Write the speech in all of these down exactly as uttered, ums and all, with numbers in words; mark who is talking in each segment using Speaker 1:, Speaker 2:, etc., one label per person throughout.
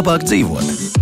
Speaker 1: labāk dzīvot.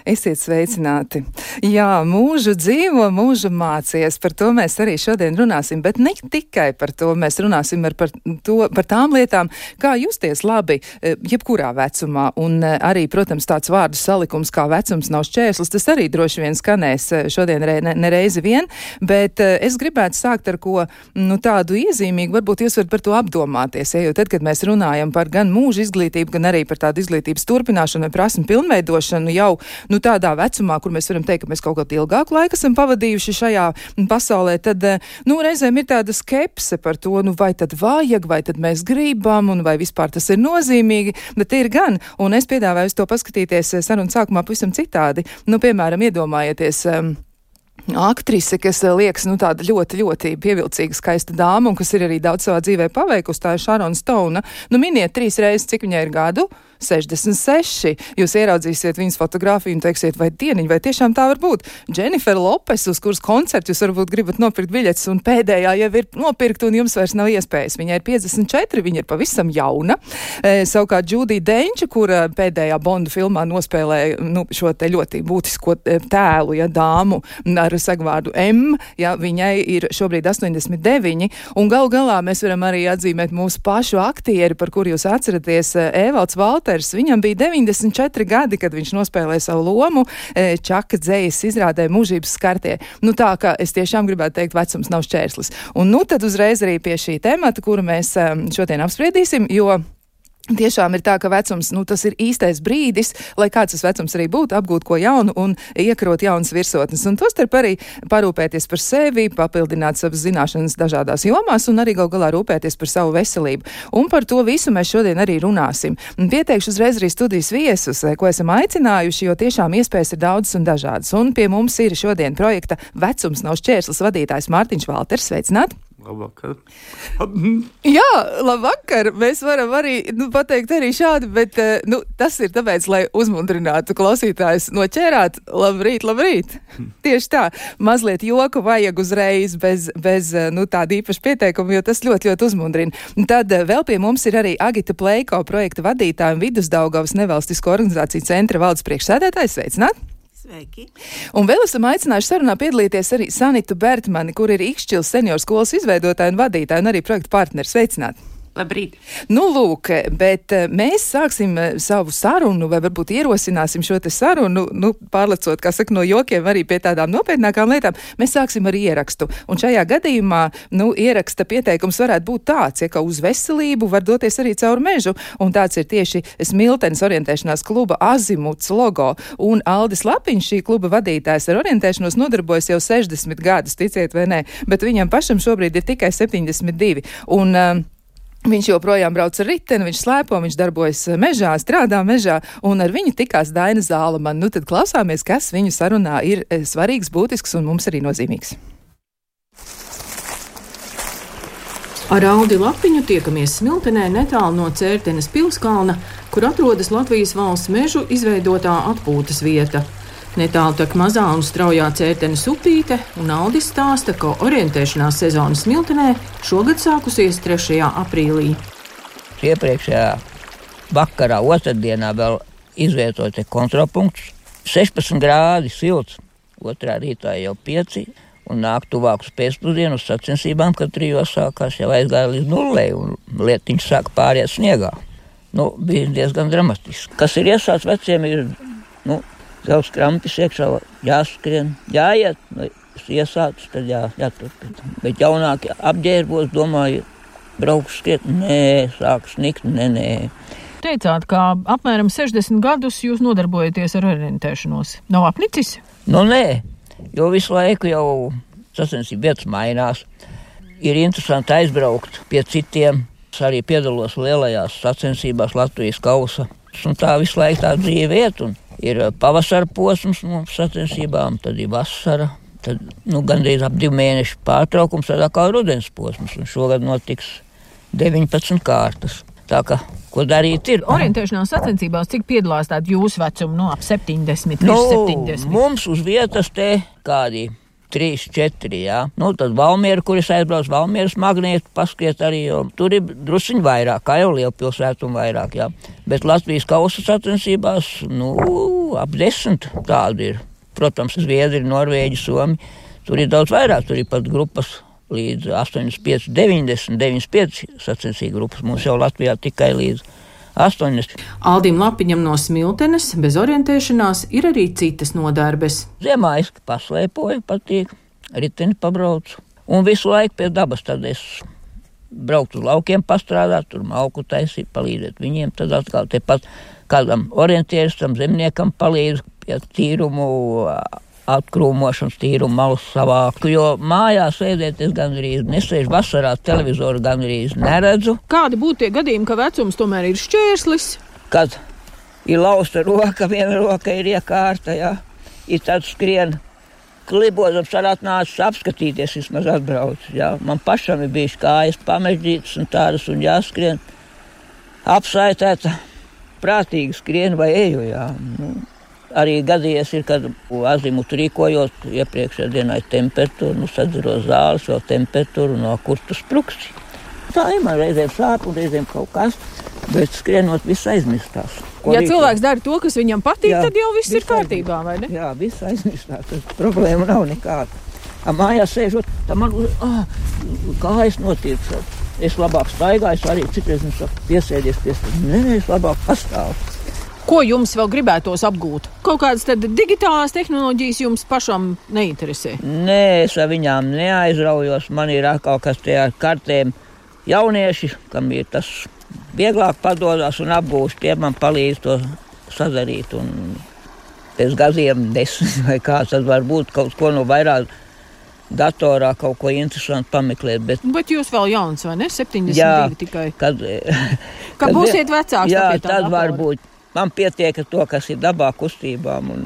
Speaker 2: Esiet sveicināti. Jā, mūžu dzīvo, mūžu mācies. Par to mēs arī šodien runāsim, bet ne tikai par to. Mēs runāsim ar par, to, par tām lietām, kā justies labi jebkurā vecumā. Un arī, protams, tāds vārdu salikums kā vecums nav šķērslis, tas arī droši vien skanēs šodien ne, nereizi vien, bet es gribētu sākt ar ko nu, tādu iezīmīgu, varbūt jūs varat par to apdomāties, ja, jo tad, kad mēs runājam par gan mūža izglītību, gan arī par tādu izglītības turpināšanu vai prasmu pilnveidošanu jau, nu, tādā vecumā, kur mēs varam teikt, ka mēs kaut kādu ilgāku laiku esam pavadījuši šajā pasaulē, tad, nu, reizēm ir tāda skepse par to, nu, vai tad vajag, vai tad mēs gribam, un vai vispār tas ir nozīmīgi, bet ir gan, un es piedāvāju to paskatīties sarunu sākumā pavisam citādi. Nu, piemēram, iedomājieties, um, aktrise, kas liekas, nu, tāda ļoti, ļoti pievilcīga, skaista dāma, un kas ir arī daudz savā dzīvē paveikusi, tā ir Šarona Stouna. Nu, miniet trīs reizes, cik viņai ir gadu? sešdesmit seši. Jūs ieraudzīsiet viņas fotogrāfiju un teiksiet, vai dieniņ, vai tiešām tā var būt. Jennifer Lopes, uz kuras koncertu jūs varbūt gribat nopirkt biļetes, un pēdējā jau ir nopirkt, un jums vairs nav iespējas. Viņai ir piecdesmit četri, viņa ir pavisam jauna. E, savukārt Judija Denča, kura pēdējā Bonda filmā nospēlēja nu, šo te ļoti būtisko tēlu, ja, dāmu ar sagvārdu M, ja, viņai ir šobrīd astoņdesmit deviņi, un galu galā mēs varam arī atzīmēt mūsu pašu aktieri, par kuru jūs atceraties, Evalds Valters. Viņam bija deviņdesmit četri gadi, kad viņš nospēlēja savu lomu Čaka dzejas izrādē Mūžības skartie. Nu tā, ka es tiešām gribētu teikt, vecums nav šķērslis. Un nu tad uzreiz arī pie šī temata, kuru mēs šodien apspriedīsim, jo tiešām ir tā, ka vecums, nu, tas ir īstais brīdis, lai kāds tas vecums arī būtu, apgūt ko jaunu un iekrot jaunas virsotnes. Un tostarp arī parūpēties par sevi, papildināt savas zināšanas dažādās jomās un arī gal galā rūpēties par savu veselību. Un par to visu mēs šodien arī runāsim. Un pieteikšu uzreiz arī studijas viesus, ko esam aicinājuši, jo tiešām iespējas ir daudzas un dažādas. Un pie mums ir šodien projekta Vecums nav šķērslis vadītājs Mārtiņš Valters. Sveicināt!
Speaker 3: Labvakar.
Speaker 2: Jā, labvakar. Mēs varam arī nu, pateikt arī šādi, bet nu, tas ir tāpēc, lai uzmundrinātu klausītājus noķērāt. Labrīt, labrīt. Tieši tā. Mazliet joku vajag uzreiz bez, bez nu, tāda īpaša pieteikuma, jo tas ļoti, ļoti uzmundrina. Tad vēl pie mums ir arī Agita Pleiko projekta vadītāja un Vidusdaugavas nevalstisko organizāciju centra valdes priekšsēdētājs. Sveicināt!
Speaker 4: Sveiki.
Speaker 2: Un vēl esam aicinājuši sarunā piedalīties arī Sanitu Bertmani, kur ir Ikšķils senioru skolas izveidotāja un vadītāja un arī projekta partneri. Sveicināt!
Speaker 4: Labrīt.
Speaker 2: Nu, lūk, bet mēs sāksim savu sarunu, vai varbūt ierosināsim šo te sarunu, nu, pārlecot, kā saka, no jokiem arī pie tādām nopietnākām lietām. Mēs sāksim ar ierakstu. Un šajā gadījumā, nu, ieraksta pieteikums varētu būt tāds, ja, ka uz veselību var doties arī caur mežu. Un tāds ir tieši Smiltenes orientēšanās kluba Azimuts logo. Un Aldis Lapiņš, šī kluba vadītājs, ar orientēšanos nodarbojas jau sešdesmit gadus, ticiet vai nē, bet viņam pašam šobrīd ir tikai septiņdesmit divi. Un, um, viņš joprojām brauc ar riteni, viņš slēpo, viņš darbojas mežā, strādā mežā, un ar viņu tikās Daina Zālamana. Nu tad klausāmies, kas viņu sarunā ir svarīgs, būtisks un mums arī nozīmīgs.
Speaker 5: Ar Aldi Lapiņu tiekamies Smiltenē netālu no Cērtenes pilskalna, kur atrodas Latvijas valsts mežu izveidotā atpūtas vieta. Netālu tak mazā un straujā Cērtenes upīte, un Aldis stāsta, ka orientēšanās sezona Smiltenē šogad sākusies trešajā aprīlī.
Speaker 6: Iepriekšējā vakarā, otrdienā vēl izvietoja kontrolpunktus. sešpadsmit grādi silts, otrā rītā jau pieci, un nāk tuvāk uz pēcpusdienu uz sacensībām, kad trijos sākās jau aizgāja līdz nullei, un lietiņš sāka pāriet sniegā. Nu, bija diezgan dramatiski. Kas ir iesāts veciem, ir, nu, Zelts krampis iekšā, jāskrien, jāiet, vai iesācis, tad jā, jāturpina. Bet jaunākie apģērbos, domāju, brauks skriet, nē, sāk snikt, nē, nē.
Speaker 5: Teicāt, ka apmēram sešdesmit gadus jūs nodarbojaties ar orientēšanos. Nav apnicis?
Speaker 6: Nu, nē, jo visu laiku jau sacensību vietas mainās. Ir interesanti aizbraukt pie citiem. Es arī piedalos lielajās sacensībās Latvijas kausa. Un tā visu laiku tā dzīve iet, un ir pavasara posms no sacensībām, tad ir vasara, tad nu, gandrīz ap divu mēnešu pārtraukums, tad atkal rudens posms, un šogad notiks deviņpadsmit kārtas. Tā kā, ko darīt ir?
Speaker 5: Orientēšanās sacensībās, cik piedalās tādu jūsu vecumu, no ap septiņdesmit,
Speaker 6: nu,
Speaker 5: septiņdesmit?
Speaker 6: Mums uz vietas te kādi trīs, četri, jā. Nu, tad Valmiera, kur es aizbraucu, Valmieras magnētu paskriet arī, jo tur ir drusiņi vairāk, kā jau lielpilsētu un vairāk, jā. Bet Latvijas kausa sacensībās, nu, ap desmit tādi ir. Protams, Zviedri, Norvēģi, Somi, tur ir daudz vairāk, tur ir pat grupas līdz astoņdesmit pieci, deviņdesmit, deviņdesmit pieci sacensību grupas. Mums jau Latvijā tikai līdz astoņdesmit.
Speaker 5: Aldim Lapiņam no Smiltenes bez orientēšanās ir arī citas nodarbes.
Speaker 6: Ziemā es paslēpoju, patīk, riteni pabraucu. Un visu laiku pie dabas tad es braucu uz laukiem pastrādāt, tur malku taisīt, palīdzēt viņiem. Tad atkal tepat kādam orientieristam, zemniekam palīdzu pie tīrumu, atkrūmošanas, tīrumu malas savāku, jo mājās sēdēt es gandrīz nesēžu, vasarā televizoru gandrīz neredzu.
Speaker 5: Kādi būtu tie gadījumi, ka vecums tomēr ir šķērslis?
Speaker 6: Kad ir lausta roka, viena roka ir iekārta, jā, ir tad skrien klibozams, ar atnācis apskatīties, vismaz atbrauc, jā. Man pašam ir bijuši kājas pamežģītas un tādas un jāskrien apsaitēta, prātīgi skrien vai eju, jā. Nu, arī gadījies ir, kad azimutu rīkojot iepriekšējā dienā ir temperatūra, nu sadziro zāles, vēl temperatūru no kurtu spruksti. Tā ir man reizēm sāp un reizēm kaut kas, bet skrienot viss aizmirstās.
Speaker 5: Ko ja rīkot? Cilvēks dara to, kas viņam patīk, jā, tad jau viss, viss ir kārtībā, vai ne?
Speaker 6: Jā, viss aizmirstās, tas problēma nav nekāda. A mājās sēžot, tā man, ah, kājas notiek. Es labāk staigāju, arī citreiz mums saka, piesēdies, piesēdies. Nē, nē, es labāk pastāvu.
Speaker 5: Ko jums vēl gribētos apgūt? Kaut kādas tad digitālās tehnoloģijas jums pašam neinteresē?
Speaker 6: Nē, es ar viņām neaizraujos. Man ir atkal kas tie ar kartēm jaunieši, kam ir tas vieglāk padodas un apgūst. Tie man palīdz to sadarīt. Un pēc gadiem desmit vai kā, tad varbūt kaut ko no vairāk datorā kaut ko interesantu pameklēt. Bet,
Speaker 5: bet jūs vēl jauns, vai ne? septiņdesmit divi tikai.
Speaker 6: Kad,
Speaker 5: kad, kad būsiet vecāks.
Speaker 6: Jā, tad varbūt. Man pietiek ar to, kas ir dabā kustībām un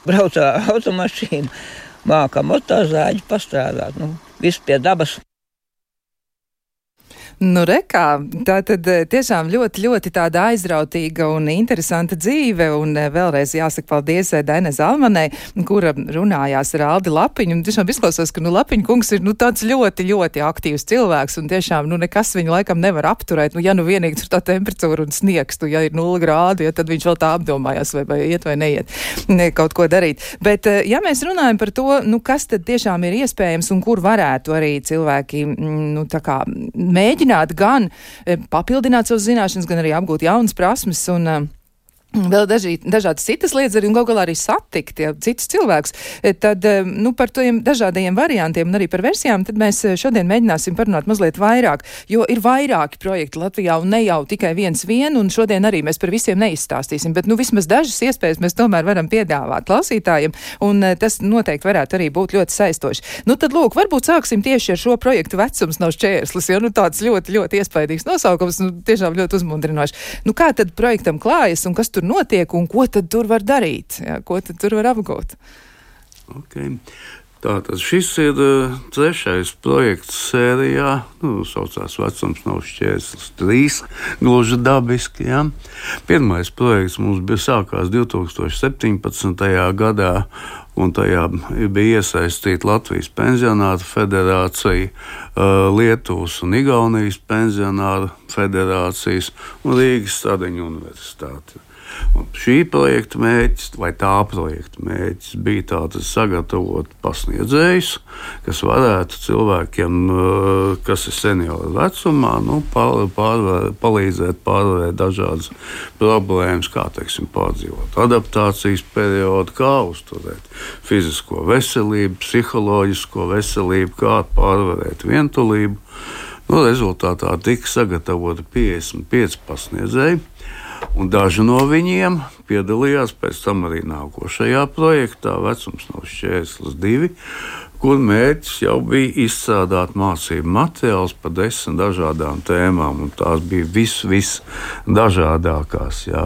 Speaker 6: brauc ar automašīnu, mākā motozāģi pastrādāt. Nu, viss pie dabas.
Speaker 2: Nu, rekā, tā tad tiešām ļoti, ļoti tāda aizrautīga un interesanta dzīve, un vēlreiz jāsaka paldies Dainai Zalmanai, kura runājās ar Aldi Lapiņu, un tiešām izklausās, ka, nu, Lapiņa kungs ir, nu, tāds ļoti, ļoti aktīvs cilvēks, un tiešām, nu, nekas viņu laikam nevar apturēt, nu, ja nu vienīgi tur tā temperatūra un sniegs, tu, ja ir nulle grādi, ja tad viņš vēl tā apdomājās, vai, vai iet vai neiet, ne, kaut ko darīt. Bet, ja mēs runājam par to, nu, kas tad tiešām ir iespējams un kur varētu arī cilvēki, nu, tā kā mēģināt gan papildināt savas zināšanas, gan arī apgūt jaunas prasmes un uh, vēl daži, dažādas citas lietas arī un galu galā arī satikt ja, citus cilvēkus, tad nu, par tiem dažādajiem variantiem un arī par versijām, tad mēs šodien mēģināsim parunāt mazliet vairāk, jo ir vairāki projekti Latvijā un ne jau tikai viens vien, un šodien arī mēs par visiem neizstāstīsim, bet nu vismaz dažas iespējas mēs tomēr varam piedāvāt klausītājiem, un tas noteikti varētu arī būt ļoti saistoši. Nu tad lūk, varbūt sāksim tieši ar šo projektu Vecums nav šķērslis, jo nu tāds ļoti, ļoti iespaidīgs nosaukums, nu tiešām ļoti uzmundrinoši. Nu kā tad projektam klājas un kas tur notiek un ko tad tur var darīt? Jā, ko tad tur var apgūt?
Speaker 1: Okay. Tātad šis ir uh, trešais projekts sērijā, nu, saucās Vecums nav šķērslis trīs, gluži dabiski, jā. Pirmais projekts mums bija sākās divi tūkstoši septiņpadsmitajā gadā, un tajā bija iesaistīta Latvijas pensionāru federācija, uh, Lietuvas un Igaunijas pensionāru federācijas un Rīgas Stradiņu universitāte. Un šī projekta mērķis, vai tā projekta mērķis, bija tātad sagatavot pasniedzējus, kas varētu cilvēkiem, kas ir senioru vecumā, nu, pār, pārvar, palīdzēt pārvarēt dažādas problēmas, kā, teiksim, pārdzīvot adaptācijas periodu, kā uzturēt fizisko veselību, psiholoģisko veselību, kā pārvarēt vientulību. Nu, rezultātā tika sagatavoti piecdesmit pieci pasniedzēji. Un daži no viņiem piedalījās pēc tam arī nākošajā projektā Vecums nav šķērslis divi, kur mērķis jau bija izstrādāt mācību materiālus par desmit dažādām tēmām, un tās bija vis, vis dažādākās, jā.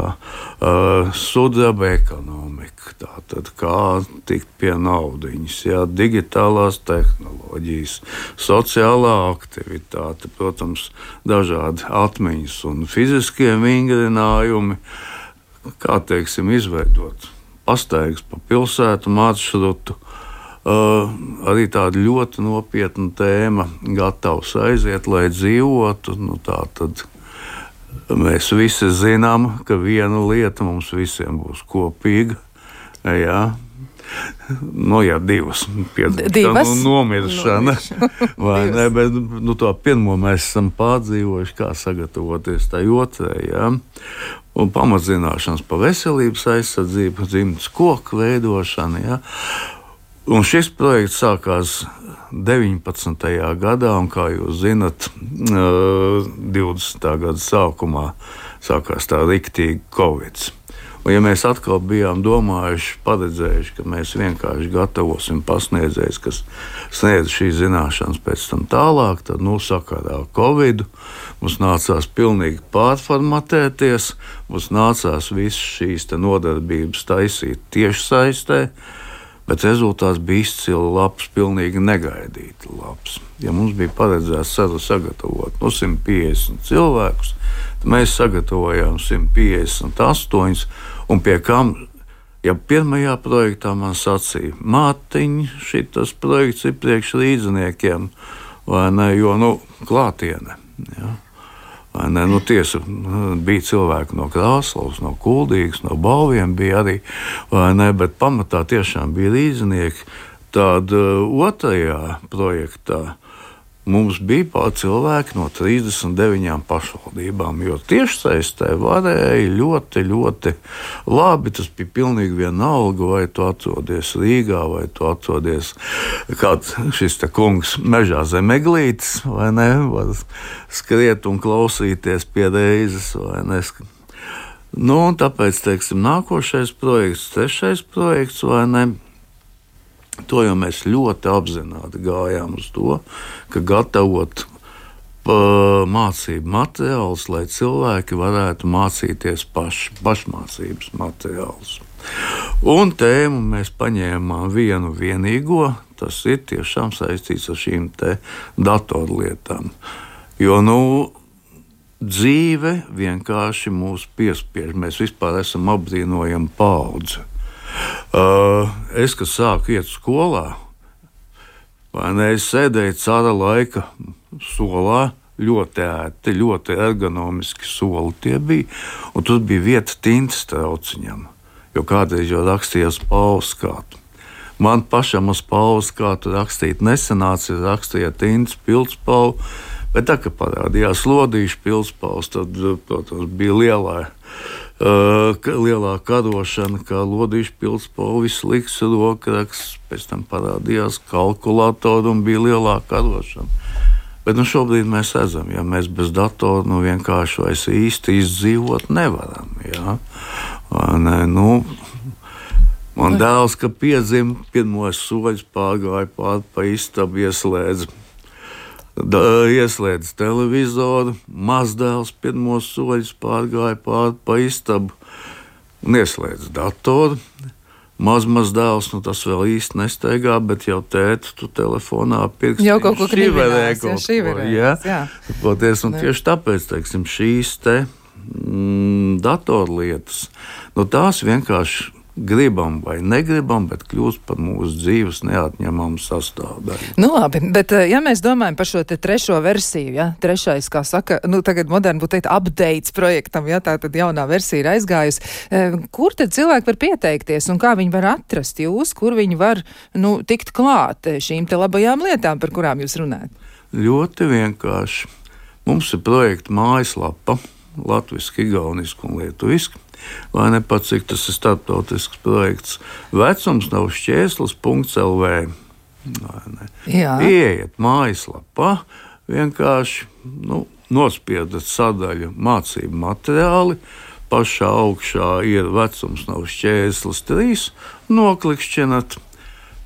Speaker 1: Uh, sudraba ekonomika, tātad kā tikt pie naudiņas, jā, digitālās tehnoloģijas, sociālā aktivitāte, protams, dažādi atmiņas un fiziskie vingrinājumi, kā, teiksim, izveidot pastaigas pa pilsētu maršrutu, Uh, arī tāda ļoti nopietna tēma, gatavs aiziet, lai dzīvotu. Nu, tā tad mēs visi zinām, ka viena lieta mums visiem būs kopīga. Jā. Nu, jā, divas.
Speaker 2: Divas?
Speaker 1: Un nomiršana. Vai ne? Bet nu, to pirmo mēs esam pārdzīvojuši, kā sagatavoties tai otrai. Jā. Un pamatzināšanas pa veselības aizsardzību, dzimtas koku veidošana. Jā. Un šis projekts sākās deviņpadsmitajā gadā, un, kā jūs zinat, divdesmitā gada sākumā sākās tā riktīgi Covid. Un, ja mēs atkal bijām domājuši, paredzējuši, ka mēs vienkārši gatavosim pasniedzējus, kas sniedz šīs zināšanas pēc tam tālāk, tad, nu, sakarā Covid mums nācās pilnīgi pārformatēties, mums nācās visas šīs te nodarbības taisīt tiešsaistē. Bet rezultāts bija izcili labs, pilnīgi negaidīti labs. Ja mums bija paredzēts sagatavot no simt piecdesmit cilvēkus, tad mēs sagatavojām simt piecdesmit astoņus, un pie kam, ja pirmajā projektā man sacīja, Mārtiņ, šitas projekts ir priekš līdziniekiem, vai ne, jo, nu, klātiene, ja. Ne, nu, tiesa, bija cilvēki no Krāslavas, no Kuldīgas, no Balviem bija arī, ne, bet pamatā tiešām bija līdzinieki. Tad otrajā projektā mums bija pār cilvēki no trīsdesmit deviņām pašvaldībām, jo tiešsaistē varēja ļoti, ļoti labi. Tas bija pilnīgi vienalga, vai tu atrodies Rīgā, vai tu atrodies kāds šis te kungs mežā zem eglītes, vai ne, var skriet un klausīties pie reizes, vai ne. Nu, un tāpēc, teiksim, nākošais projekts, trešais projekts, vai ne, to jau mēs ļoti apzināti gājām uz to, ka gatavot mācību materiālus, lai cilvēki varētu mācīties paši, pašmācības materiālus. Un tēmu mēs paņēmām vienu vienīgo, tas ir tiešām saistīts ar šīm te datorlietām. Jo, nu, dzīve vienkārši mūs piespiež, mēs vispār esam apbrīnojama paudze. Uh, es, kad sāku iet skolā, vai ne, es sēdēju cara laika solā, ļoti ērti, ļoti ergonomiski soli tie bija, un tur bija vieta tintas trauciņam, jo kādreiz jau rakstījās pauskātu. Man pašam uz pauskātu rakstīt nesanāca, rakstīja tintas pildspalvu, bet tā, ka parādījās lodīšu pildspalvs, tad, protams, bija lielā Uh, lielā karošana, kā lodīšu pildspalvu, slikts rokraksts, pēc tam parādījās kalkulātori un bija lielā karošana. Bet nu, šobrīd mēs redzam, ja mēs bez datora nu, vienkārši vairs īsti izdzīvot nevaram. Ja? Ne, nu, man dēls, ka piedzima, pirmos soļus pārgāja pār pa istabu, ieslēdz Da, ieslēdz televizoru, mazdēls pirmos soļus pārgāja pāri pa istabu un ieslēdz datoru. Mazmazdēls, nu tas vēl īsti nestaigā, bet jau tēti tu telefonā pirksti.
Speaker 2: Jau kaut ko
Speaker 1: kriminās,
Speaker 2: ja, šiverēs, jā. jā.
Speaker 1: Poties, un tieši tāpēc, teiksim, šīs te mm, datorlietas, nu tās vienkārši gribam vai negribam, bet kļūst par mūsu dzīves neatņemamu sastāvdaļu.
Speaker 2: Nu labi, bet ja mēs domājam par šo te trešo versiju, ja, trešais, kā saka, nu tagad moderni būtu teikt updates projektam, ja, tā tad jaunā versija ir aizgājusi, kur tad cilvēki var pieteikties un kā viņi var atrast jūs, kur viņi var, nu, tikt klāt šīm te labajām lietām, par kurām jūs runājat?
Speaker 1: Ļoti vienkārši. Mums ir projekta mājaslapa, latviski, igauniski un lietuviski. Vai ne pat, cik tas ir starptautisks projekts. Vecums nav šķēslis punkts el vē. Ieiet mājaslapā, vienkārši nu, nospiedat sadaļu mācību materiāli, pašā augšā ir vecums nav šķēslis trīs, noklikšķinat.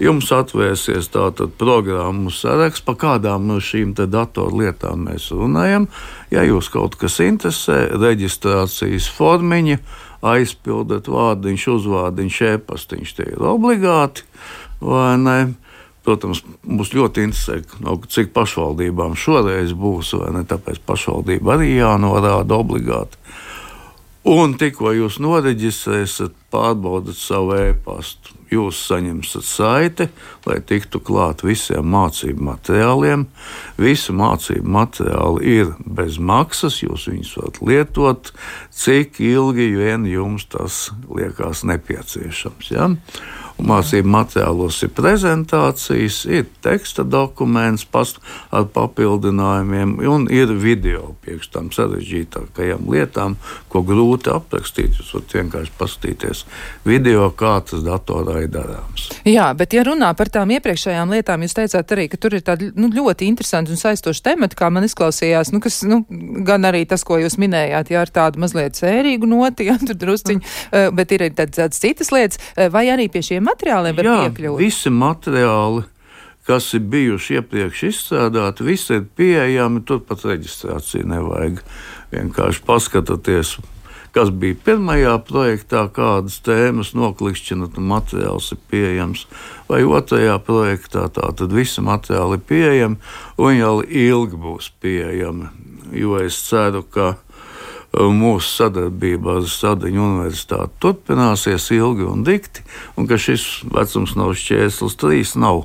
Speaker 1: Jums atvērsies tātad programmu saraksts, pa kādām no šīm te datorlietām mēs runājam. Ja jūs kaut kas interesē, reģistrācijas formiņa, aizpildat vārdiņš, uzvārdiņš, e-pastiņš, tie ir obligāti, vai ne? Protams, mums ļoti interesē, no cik pašvaldībām šoreiz būs, vai ne? Tāpēc pašvaldība arī jānorāda obligāti. Un tikko jūs noreģistrēsiet, pārbaudat savu e-pastu, jūs saņemsiet saiti, lai tiktu klāt visiem mācību materiāliem. Visi mācību materiāli ir bez maksas, jūs viņus varat lietot, cik ilgi vien jums tas liekas nepieciešams. Ja? Un mācību materiālos ir prezentācijas, ir teksta dokuments past, ar papildinājumiem un ir video priekš tām sarežģītākajām lietām, ko grūti aprakstīt. Jūs varat vienkārši paskatīties video, kā tas datorā ir darāms.
Speaker 2: Jā, bet ja runā par tām iepriekšējām lietām, jūs teicāt arī, ka tur ir tādi nu, ļoti interesanti un saistoši temati, kā man izklausījās, nu, kas, nu, gan arī tas, ko jūs minējāt, jā, ar tādu mazliet sērīgu noti, jā, tur drusciņi, mm. bet ir tādas, tādas citas lietas, vai arī pie šiem materiāliem var
Speaker 1: Jā,
Speaker 2: piekļūt?
Speaker 1: Visi materiāli, kas ir bijuši iepriekš izstrādāti, visi ir pieejami, turpat reģistrāciju nevajag. Vienkārši paskatieties, kas bija pirmajā projektā, kādas tēmas noklikšķinat un materiāls ir pieejams, vai otrajā projektā, tā tad visi materiāli ir pieejami un jau ilgi būs pieejami, jo es ceru, ka mūsu sadarbība ar Sadiņu universitāti turpināsies ilgi un dikti, un ka šis vecums nav šķērslis trīs nav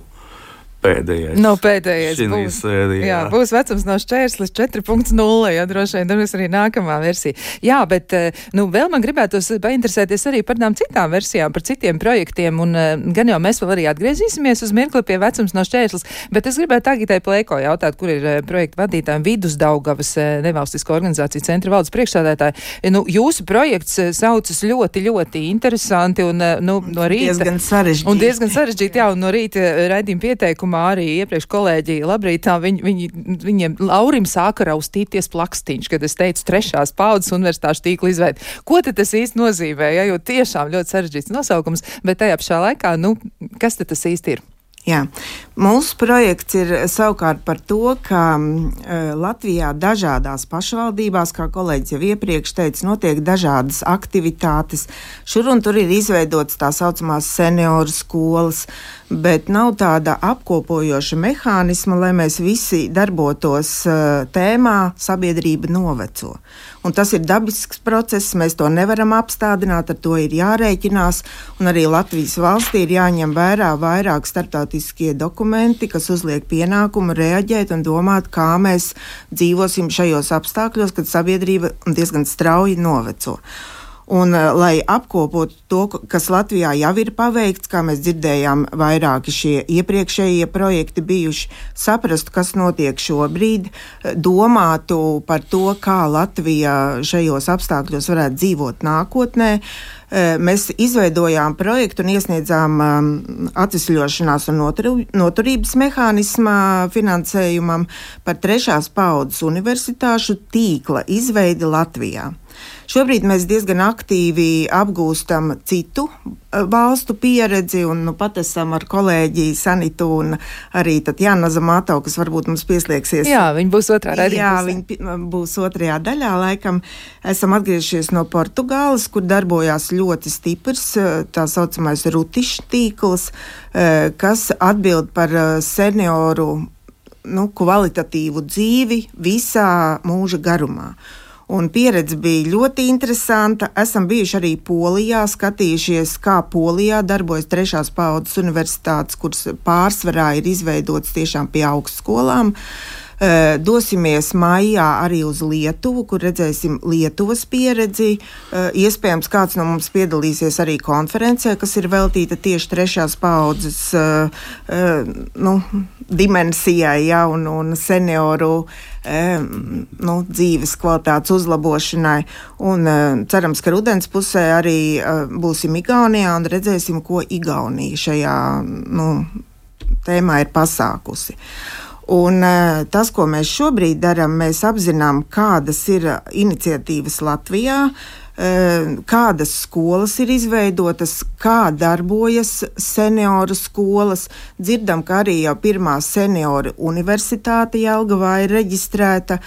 Speaker 1: pēdējais.
Speaker 2: Nav pēdējais.
Speaker 1: Būs, sērijā.
Speaker 2: Jā, būs vecums no šķērslis četri punkti nulle, ja droši vien būs arī nākamā versija. Jā, bet, nu, vēl man gribētos painteresēties arī par tām citām versijām, par citiem projektiem, un gan jau mēs vēl arī atgriezīsimies uz mirkli pie vecums no šķērslis, bet es gribētu Agitai Plēko jautāt, kur ir projekta vadītājiem Vidusdaugavas nevalstisko organizāciju centra valdes priekšsādātāji. Nu, jūsu projekts saucas ļoti, ļoti interesanti un, nu, no rīta.
Speaker 3: Diezgan sarežģīti.
Speaker 2: Un diezgan sarežģīti, jā, un no rīta raidījuma pieteikuma arī iepriekš kolēģi labrītā, viņi, viņi, viņiem Laurim sāka raustīties plakstiņš, kad es teicu trešās paudzes universitāšu tīkla izveidi. Ko tad tas īsti nozīmē, ja, jo tiešām ļoti sarežģīts nosaukums, bet tajā pašā laikā, nu, kas tad tas īsti ir?
Speaker 3: Jā, mūsu projekts ir savukārt par to, ka uh, Latvijā dažādās pašvaldībās, kā kolēģis jau iepriekš teica, notiek dažādas aktivitātes. Šur un tur ir izveidotas tā saucamās senioru skolas, bet nav tāda apkopojoša mehānisma, lai mēs visi darbotos uh, tēmā sabiedrība noveco. Un tas ir dabisks process, mēs to nevaram apstādināt, ar to ir jārēķinās, un arī Latvijas valstī ir jāņem vērā vairāk starptautiskie dokumenti, kas uzliek pienākumu reaģēt un domāt, kā mēs dzīvosim šajos apstākļos, kad sabiedrība diezgan strauji noveco. Un, lai apkopotu to, kas Latvijā jau ir paveikts, kā mēs dzirdējām, vairāki šie iepriekšējie projekti bijuši, saprastu, kas notiek šobrīd, domātu par to, kā Latvija šajos apstākļos varētu dzīvot nākotnē. Mēs izveidojām projektu un iesniedzām atvesļošanās un noturības mehānisma finansējumam par trešās paudzes universitāšu tīkla izveidi Latvijā. Šobrīd mēs diezgan aktīvi apgūstam citu valstu pieredzi, un nu, pat esam ar kolēģi Sanitu un arī Tatjana Zamato, kas varbūt mums pieslēgsies.
Speaker 2: Jā, viņi būs otrā raidījumā.
Speaker 3: Jā, viņi būs otrajā daļā, laikam. Esam atgriežies no Portugāles, kur darbojās ļoti stiprs tā saucamais rutišs tīkls, kas atbild par senioru nu, kvalitatīvu dzīvi visā mūža garumā. Un pieredze bija ļoti interesanta. Esam bijuši arī Polijā, skatījušies, kā Polijā darbojas trešās paudzes universitātes, kuras pārsvarā ir izveidotas tiešām pie augstskolām. Dosimies maijā arī uz Lietuvu, kur redzēsim Lietuvas pieredzi. Iespējams, kāds no mums piedalīsies arī konferencē, kas ir veltīta tieši trešās paudzes nu, dimensijai, ja, un, un senioru nu, dzīves kvalitātes uzlabošanai. Un cerams, ka rudens pusē arī būsim Igaunijā un redzēsim, ko Igaunija šajā nu, tēmā ir pasākusi. Un tas, ko mēs šobrīd darām, mēs apzinām, kādas ir iniciatīvas Latvijā, kādas skolas ir izveidotas, kā darbojas senioru skolas. Dzirdam, ka arī jau pirmā senioru universitāte Jelgavā ir reģistrēta,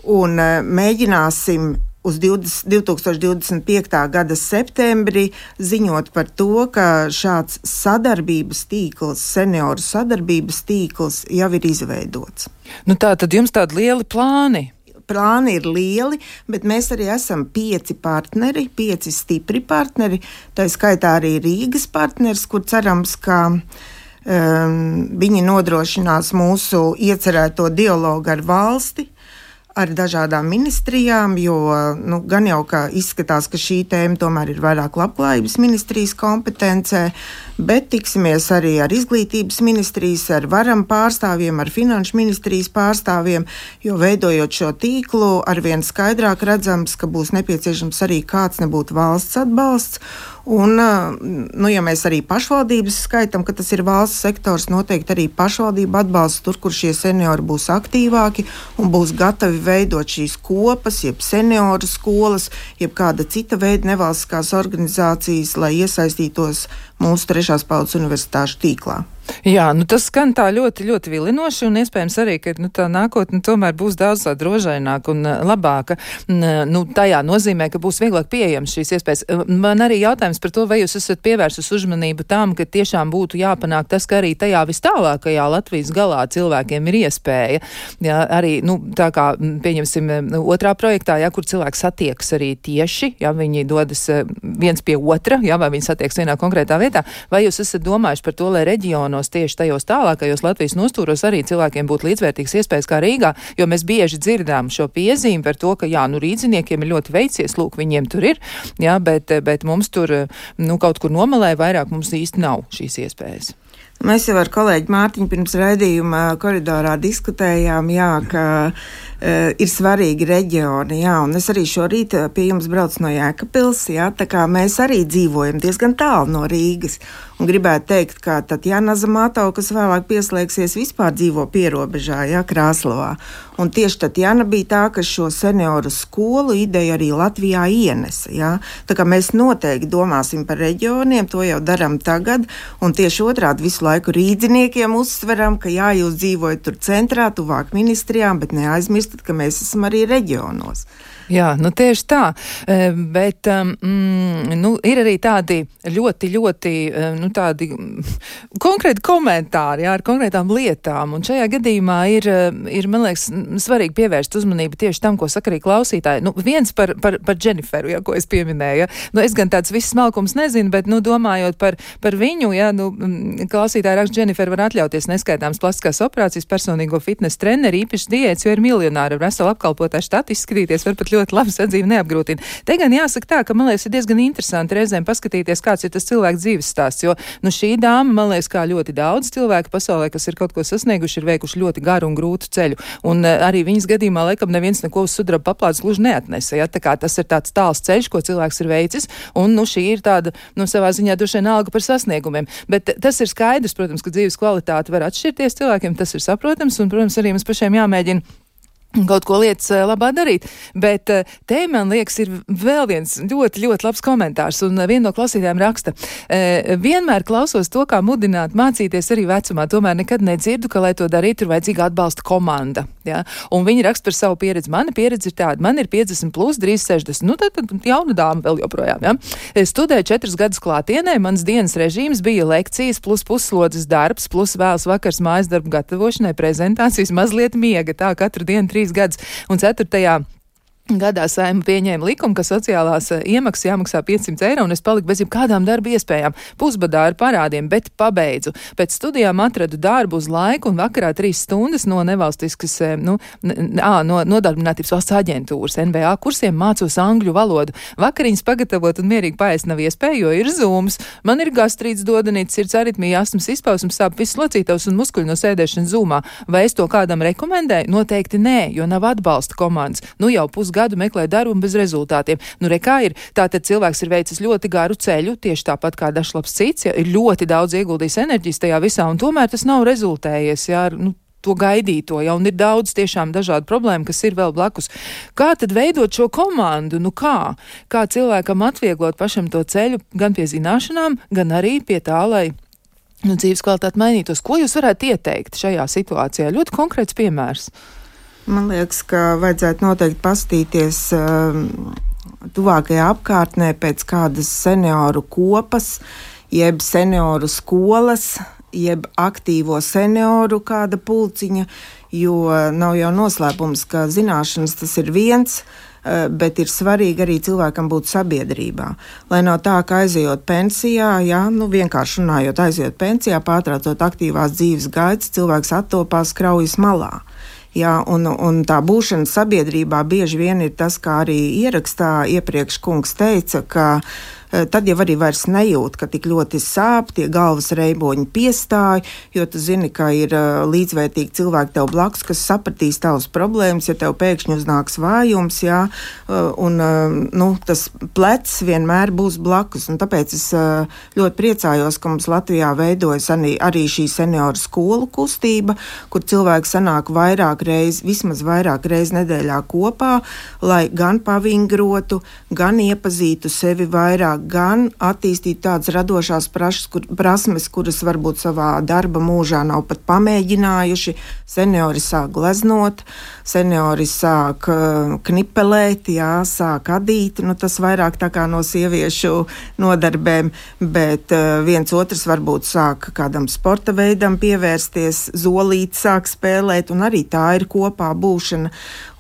Speaker 3: un mēģināsim uz divtūkstoš divdesmit piektā gada septembrī ziņot par to, ka šāds sadarbības tīkls, senioru sadarbības tīkls jau ir izveidots.
Speaker 2: Nu tā tad jums tādi lieli plāni?
Speaker 3: plāni ir lieli, bet mēs arī esam pieci partneri, pieci stipri partneri, tā skaitā arī Rīgas partneris, kur cerams, ka um, viņi nodrošinās mūsu iecerēto dialogu ar valsti, ar dažādām ministrijām, jo nu, gan jau kā izskatās, ka šī tēma tomēr ir vairāk labklājības ministrijas kompetencē, bet tiksimies arī ar izglītības ministrijas, ar varam pārstāvjiem, ar finanšu ministrijas pārstāvjiem, jo veidojot šo tīklu, arvien skaidrāk redzams, ka būs nepieciešams arī kāds nebūtu valsts atbalsts. Un, nu, ja mēs arī pašvaldības skaitam, ka tas ir valsts sektors, noteikti arī pašvaldība atbalsta tur, kur šie seniori būs aktīvāki un būs gatavi veidot šīs kopas, jeb senioru skolas, jeb kāda cita veida nevalstiskās organizācijas, lai iesaistītos mūsu trešās paudzes universitāšu tīklā.
Speaker 2: Jā, nu tas skan tā ļoti, ļoti vilinoši un iespējams arī, ka nu, tā nākotne tomēr būs daudz tā drošaināka un uh, labāka. Nu, tajā nozīmē, ka būs vieglāk pieejams šīs iespējas. Man arī jautājums par to, vai jūs esat pievērsus uzmanību tam, ka tiešām būtu jāpanāk tas, ka arī tajā vis tālākajā Latvijas galā cilvēkiem ir iespēja. Jā, arī, nu, tā kā, pieņemsim, otrā projektā, jā, kur cilvēks satiekas arī tieši, jā, viņi dodas viens pie otra, jā, vai viņi satiekas vienā konkrētā vietā, vai jūs esat domājuši par to, lai reģionos tieši tajos tālākajos Latvijas nostūros arī cilvēkiem būtu līdzvērtīgas iespējas kā Rīgā, jo mēs bieži dzirdām šo piezīmi par to, ka jā, nu rīdziniekiem ir ļoti veicies, lūk, viņiem tur ir, jā, bet, bet mums tur, nu, kaut kur nomalē vairāk mums īsti nav šīs iespējas.
Speaker 3: Mēs jau ar kolēģi Mārtiņu pirms raidījuma koridorā diskutējām, jā, ka uh, ir svarīgi reģioni, jā, un es arī šorīt pie jums braucu no Jēkabpils, jā, tā kā mēs arī dzīvojam diezgan tālu no Rīgas, un gribētu teikt, ka Tatjana Zamato, kas vēlāk pieslēgsies, vispār dzīvo pierobežā, jā, Krāslavā, un tieši Tatjana bija tā, kas šo senioru skolu ideju arī Latvijā ienesa, jā, tā kā mēs noteikti domāsim par reģioniem, to jau daram tagad, un tieši otrādi visu laiku rīdziniekiem uzsveram, ka jā, jūs dzīvojat tur centrā, tuvāk ministrijām, bet neaizmirstat, ka mēs esam arī reģionos.
Speaker 2: Jā, nu tieši tā, bet mm, nu, ir arī tādi ļoti, ļoti nu, tādi konkrēti komentāri, jā, ar konkrētām lietām, un šajā gadījumā ir, ir, man liekas, svarīgi pievērst uzmanību tieši tam, ko saka arī klausītāji. Nu, viens par, par, par Dženiferu, jā, ko es pieminēju, jā. Nu, es gan tāds viss smalkums nezinu, bet, nu, domājot par, par viņu, jā, nu, klausītāji raksta, Dženifer var atļauties neskaitāmas plastiskās operācijas, personīgo fitness treneri, īpaši diētas, jo ir miljonāri, ar veselu apkalpotā štatu izskatīties, var pat ļoti labi sadzīvi neapgrūtina. Te gan jāsaka tā, ka, man liekas, ir diezgan interesanti reizēm paskatīties, kāds ir tas cilvēks dzīves stāsts, jo, nu, šī dāma, man liekas, kā ļoti daudz cilvēku pasaulē, kas ir kaut ko sasnieguši, ir veikuši ļoti garu un grūtu ceļu. Un uh, arī viņas gadījumā, laikam, neviens neko uz sudraba paplādes gluži neatnesa, ja? Tā kā tas ir tāds tāls ceļš, ko cilvēks ir veicis, un, nu, šī ir tāda, nu, savā ziņā droši vien alga par sasniegumiem. Bet tas ir skaidrs, protams, ka dzīves kvalitāte var atšķirties cilvēkiem, tas ir saprotams, un, protams, arī mums pašiem jāmēģina kaut ko lietas labā darīt, bet te, man liekas, ir vēl viens ļoti, ļoti labs komentārs, un viena no klausītājiem raksta, vienmēr klausos to, kā mudināt mācīties arī vecumā, tomēr nekad nedzirdu, ka, lai to darītu, ir vajadzīga atbalsta komanda, ja? Un viņi raksta par savu pieredzi. Mana pieredze ir tāda, man ir piecdesmit plus, drīz sešdesmit, nu tad, tad jauna dāma vēl joprojām, ja? Es studēju četrus gadus klātienē, mans dienas režīms bija lekcijas plus puslodzes darbs, plus vēls vakars mājas darbu gatavošanai, prezentācijas, mazliet miega, tā katru dienu trīs gadus, un ceturtajā gadā Saeima pieņēma likumu, ka sociālās iemaksas jāmaksā piecsimt eiro, un es paliku bez jebkādām darba iespējām. Pusbadā ar parādiem, bet pabeidzu. Pēc studijām atradu darbu uz laiku, un vakarā trīs stundas no nevalstiskas, nu, ā, no nodarbinātības valsts aģentūras N B A kursiem mācos angļu valodu. Vakariņas pagatavot un mierīgi paēst nav iespēja, jo ir zūms. Man ir gastrīts, dodanīts, sirds aritmija, astmas izpausums, sāp viss locītavs un muskuļi no sēdēšanas zūmā. Vai es to kādam rekomendēju? Noteikti nē, jo nav atbalsta komandas. Nu jau pusgadu gadu meklē darbu bez rezultātiem. Nu, re, kā ir? Tātad cilvēks ir veicis ļoti garu ceļu, tieši tāpat kā dažlabs cits, ja, ir ļoti daudz ieguldījis enerģijas tajā visā, un tomēr tas nav rezultējies, jā, nu, to gaidīto, ja, un ir daudz tiešām dažādu problēmu, kas ir vēl blakus. Kā tad veidot šo komandu? Nu kā? Kā cilvēkam atvieglot pašam to ceļu gan pie zināšanām, gan arī pie tā, lai nu, dzīves kvalitāte mainītos? Ko jūs varētu ieteikt šajā situācijā? Ļoti konkrēts piemērs.
Speaker 3: Man liekas, ka vajadzētu noteikti pastīties um, tuvākajā apkārtnē pēc kādas senioru kopas, jeb senioru skolas, jeb aktīvo senioru kāda pulciņa, jo nav jau noslēpums, ka zināšanas tas ir viens, bet ir svarīgi arī cilvēkam būt sabiedrībā. Lai nav tā, ka aizejot pensijā, jā, nu vienkārši runājot, aizejot pensijā, pārtraucot aktīvās dzīves gaitas, cilvēks attopās kraujas malā. Jā, un, un tā būšana sabiedrībā bieži vien ir tas, kā arī ierakstā iepriekš kungs teica, ka tad jau arī vairs nejūt, ka tik ļoti sāp, tie galvas reiboņi piestāj, jo tu zini, ka ir līdzvērtīgi cilvēki tev blakus, kas sapratīs tavas problēmas, ja tev pēkšņi uznāks vājums, jā, un nu, tas plecs vienmēr būs blakus, un tāpēc es ļoti priecājos, ka mums Latvijā veidojas arī, arī šī senioru skolu kustība, kur cilvēki sanāk vairāk reiz, vismaz vairāk reiz nedēļā kopā, lai gan pavingrotu, gan iepazītu sevi vairāk, gan attīstīt tādas radošās prašas, kur, prasmes, kuras varbūt savā darba mūžā nav pat pamēģinājuši. Seniori sāk gleznot, seniori sāk uh, knipelēt, jā, sāk adīt, nu tas vairāk tā kā no sieviešu nodarbēm, bet uh, viens otrs varbūt sāk kādam sporta veidam pievērsties, zolīt sāk spēlēt, un arī tā ir kopā būšana.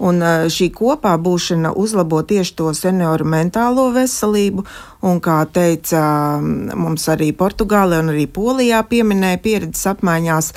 Speaker 3: Un uh, šī kopā būšana uzlabo tieši to senioru mentālo veselību, un kā teica mums arī Portugālē un arī Polijā pieminēja pieredzes apmaiņās,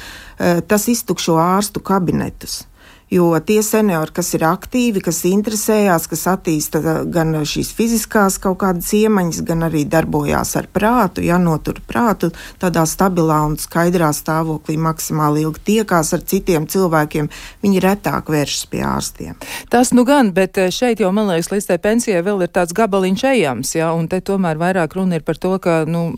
Speaker 3: tas iztukšo ārstu kabinetus. Jo tie seniori, kas ir aktīvi, kas interesējās, kas attīsta gan šīs fiziskās kaut kādas iemaņas, gan arī darbojās ar prātu, ja notur prātu tādā stabilā un skaidrā stāvoklī maksimāli ilgi tiekās ar citiem cilvēkiem, viņi retāk vēršas pie ārstiem.
Speaker 2: Tas nu gan, bet šeit jau, man liekas, līdz tai pensijai vēl ir tāds gabaliņš ejams, ja, un te tomēr vairāk runa ir par to, ka, nu,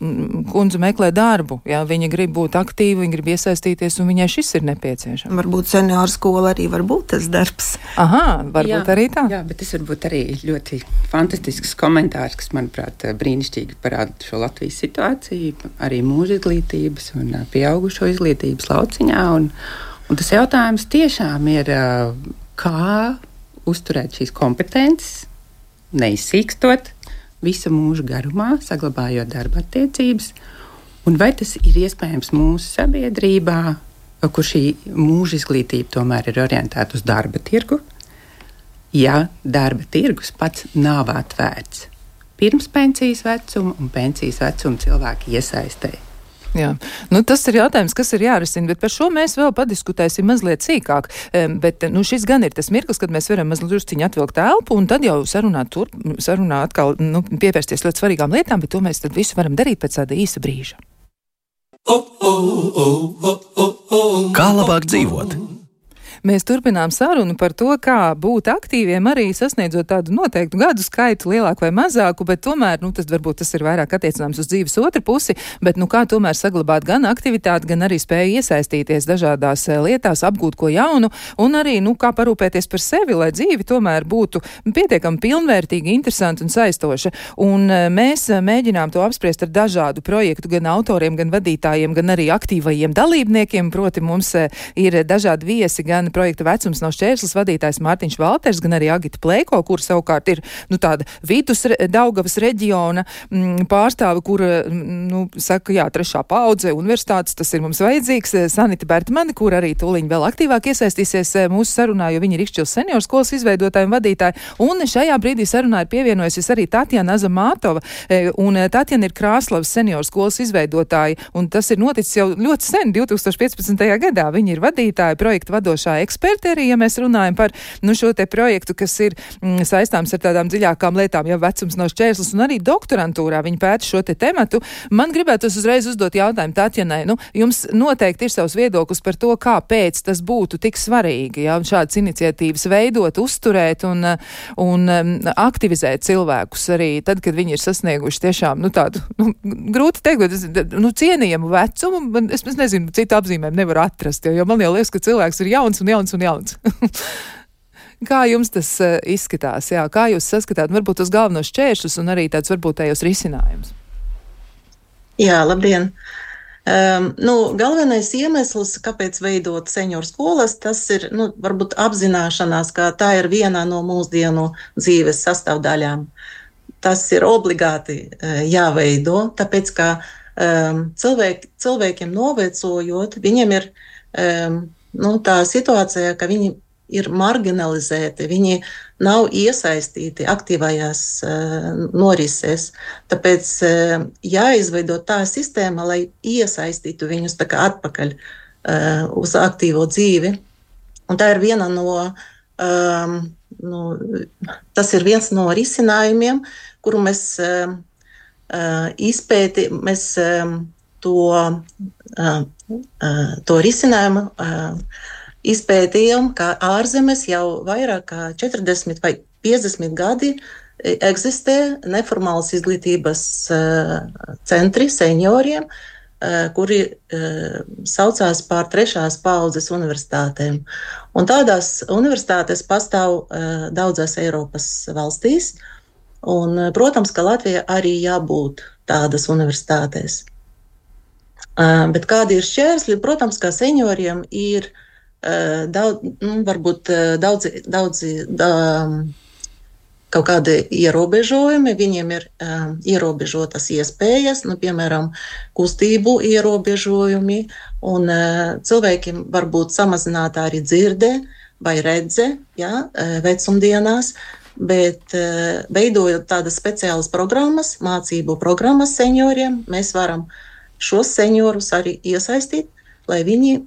Speaker 2: kundze meklē darbu, ja, viņa grib būt aktīva, viņa grib iesaistīties, un viņai šis ir nepieciešams.
Speaker 3: Varbūt senioru skola arī var būt tas darbs.
Speaker 2: Aha, varbūt jā, arī tā.
Speaker 4: Jā, bet tas varbūt arī ļoti fantastisks komentārs, kas, manuprāt, brīnišķīgi parāda šo Latvijas situāciju, arī mūža izglītības un pieaugušo izglītības lauciņā. Un, un tas jautājums tiešām ir, kā uzturēt šīs kompetences, neizsīkstot visu mūžu garumā, saglabājot darba attiecības, un vai tas ir iespējams mūsu sabiedrībā, kur šī mūža izglītība tomēr ir orientēta uz darba tirgu, ja darba tirgus pats nav atvērts pirms pensijas vecuma un pensijas vecuma cilvēku iesaistē.
Speaker 2: Jā, nu tas ir jautājums, kas ir jārisina, bet par šo mēs vēl padiskutēsim mazliet sīkāk, bet nu šis gan ir tas mirklis, kad mēs varam mazliet drusciņi atvilkt elpu un tad jau sarunāt tur, sarunā atkal, nu, pievērsties ļoti svarīgām lietām, bet to mēs tad visu varam darīt pēc tāda īsa brīža.
Speaker 7: Kā labāk dzīvot?
Speaker 2: Mēs turpinām sarunu par to, kā būt aktīviem, arī sasniedzot tādu noteiktu gadu skaitu, lielāku vai mazāku, bet tomēr, nu, tas varbūt tas ir vairāk attiecināms uz dzīves otru pusi, bet, nu, kā tomēr saglabāt gan aktivitāti, gan arī spēju iesaistīties dažādās lietās, apgūt ko jaunu, un arī, nu, kā parūpēties par sevi, lai dzīve tomēr būtu pietiekami pilnvērtīga, interesanta un saistoša. Un mēs mēģinām to apspriest ar dažādu projektu, gan autoriem, gan vadītājiem, gan arī aktīvajiem dalībniekiem, proti mums ir dažādi viesi, gan projekta Vecums nav šķērslis vadītājs Mārtiņš Valters, gan arī Agita Pleiko, kur savukārt ir, nu, tāda vidus Daugavas reģiona m, pārstāve, kur, nu, saka, jā, trešā paudze universitātes, tas ir mums vajadzīgs, Sanita Bertmane, kur arī tūliņ vēl aktīvāk iesaistīsies mūsu sarunā, jo viņa ir Ikšķils senioru skolas izveidotāja un vadītāja, un šajā brīdī sarunā ir pievienojusies arī Tatjana Azamātova, un Tatjana ir Krāslavas senioru skolas izveidotāja, un tas ir noticis jau ļoti sen, divtūkstoš piecpadsmitajā gadā. Viņa ir vadītāja, projekta vadošā eksperti arī, ja mēs runājam par, nu, šo te projektu, kas ir mm, saistāms ar tādām dziļākām lietām, ja vecums nav šķērslis, un arī doktorantūrā viņi pēta šo te tematu. Man gribētos uzreiz uzdot jautājumu Tatjanai. Nu, jums noteikti ir savs viedoklis par to, kāpēc tas būtu tik svarīgi, ja, šādas iniciatīvas veidot, uzturēt un, un um, aktivizēt cilvēkus arī tad, kad viņi ir sasnieguši tiešām, nu, tādu, nu, grūti teikt, bet, nu, cienījamu vecumu, man, es, es nezinu, citu apzīmēm nevaru atrast, jo, jo man jau liekas, ka cilvēks ir jauns un jauns un jauns. Kā jums tas uh, izskatās? Jā, kā jūs saskatāt, varbūt tos galvenos šķēršļus un arī tāds varbūt tajos risinājums?
Speaker 8: Jā, labdien! Um, nu, galvenais iemesls, kāpēc veidot senioru skolas, tas ir, nu, varbūt apzināšanās, ka tā ir viena no mūsdienu dzīves sastāvdaļām. Tas ir obligāti uh, jāveido, tāpēc, ka um, cilvēki, cilvēkiem novecojot, viņiem ir um, nu, tā situācijā, ka viņi ir marginalizēti, viņi nav iesaistīti aktīvajās uh, norisēs. Tāpēc uh, jāizveido tā sistēma, lai iesaistītu viņus tā kā atpakaļ uh, uz aktīvo dzīvi. Un tā ir viena no, um, nu, tas ir viens no risinājumiem, kuru mēs uh, uh, izpēti, mēs um, to, uh, uh, to risinājumu uh, izpētījām, ka ārzemēs jau vairāk kā četrdesmit vai piecdesmit gadi eksistē neformālas izglītības uh, centri senioriem, uh, kuri uh, saucās par trešās paaudzes universitātēm. Un tādās universitātes pastāv uh, daudzās Eiropas valstīs, un, uh, protams, ka Latvijā arī jābūt tādas universitātēs. Uh, bet kādi ir šķērsļi? Protams, ka senioriem ir Daudz, nu, varbūt daudzi, daudzi da, kaut kādi ierobežojumi, viņiem ir um, ierobežotas iespējas, nu, piemēram, kustību ierobežojumi, un uh, cilvēkiem var būt samazināta arī dzirde vai redze, ja, vecumdienās, bet uh, veidojot tādas speciālas programmas, mācību programmas senioriem, mēs varam šos seniorus arī iesaistīt, lai viņi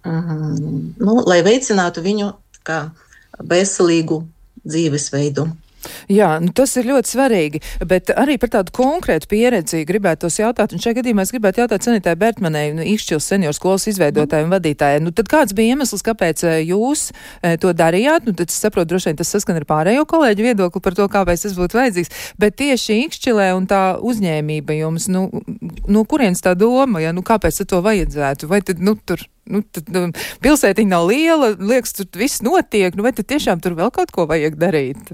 Speaker 8: Mm, nu, lai veicinātu viņu kā veselīgu dzīvesveidu.
Speaker 2: Jā, nu tas ir ļoti svarīgi, bet arī par tādu konkrētu pieredzi gribētu tos jautāt, un šajā gadījumā es gribētu jautāt Sanitai Bertmanei, nu, Ikšķils senioru skolas izveidotājai un vadītājai. Nu, tad kāds bija iemesls, kāpēc jūs e, to darījāt? Nu, tad es saprotu, droši vien tas saskan ar pārējo kolēģu viedokli par to, kāpēc tas būtu vajadzīgs, bet tieši Ikšķilē un tā uzņēmība jums, nu, no kurienes tā doma, ja, nu, kāpēc to vajadzētu? Vai tad, nu, tur, nu, tad nu, pilsētiņa nav liela, liekas, tur viss notiek, nu, vai tad tiešām tur vēl kaut ko vajag darīt?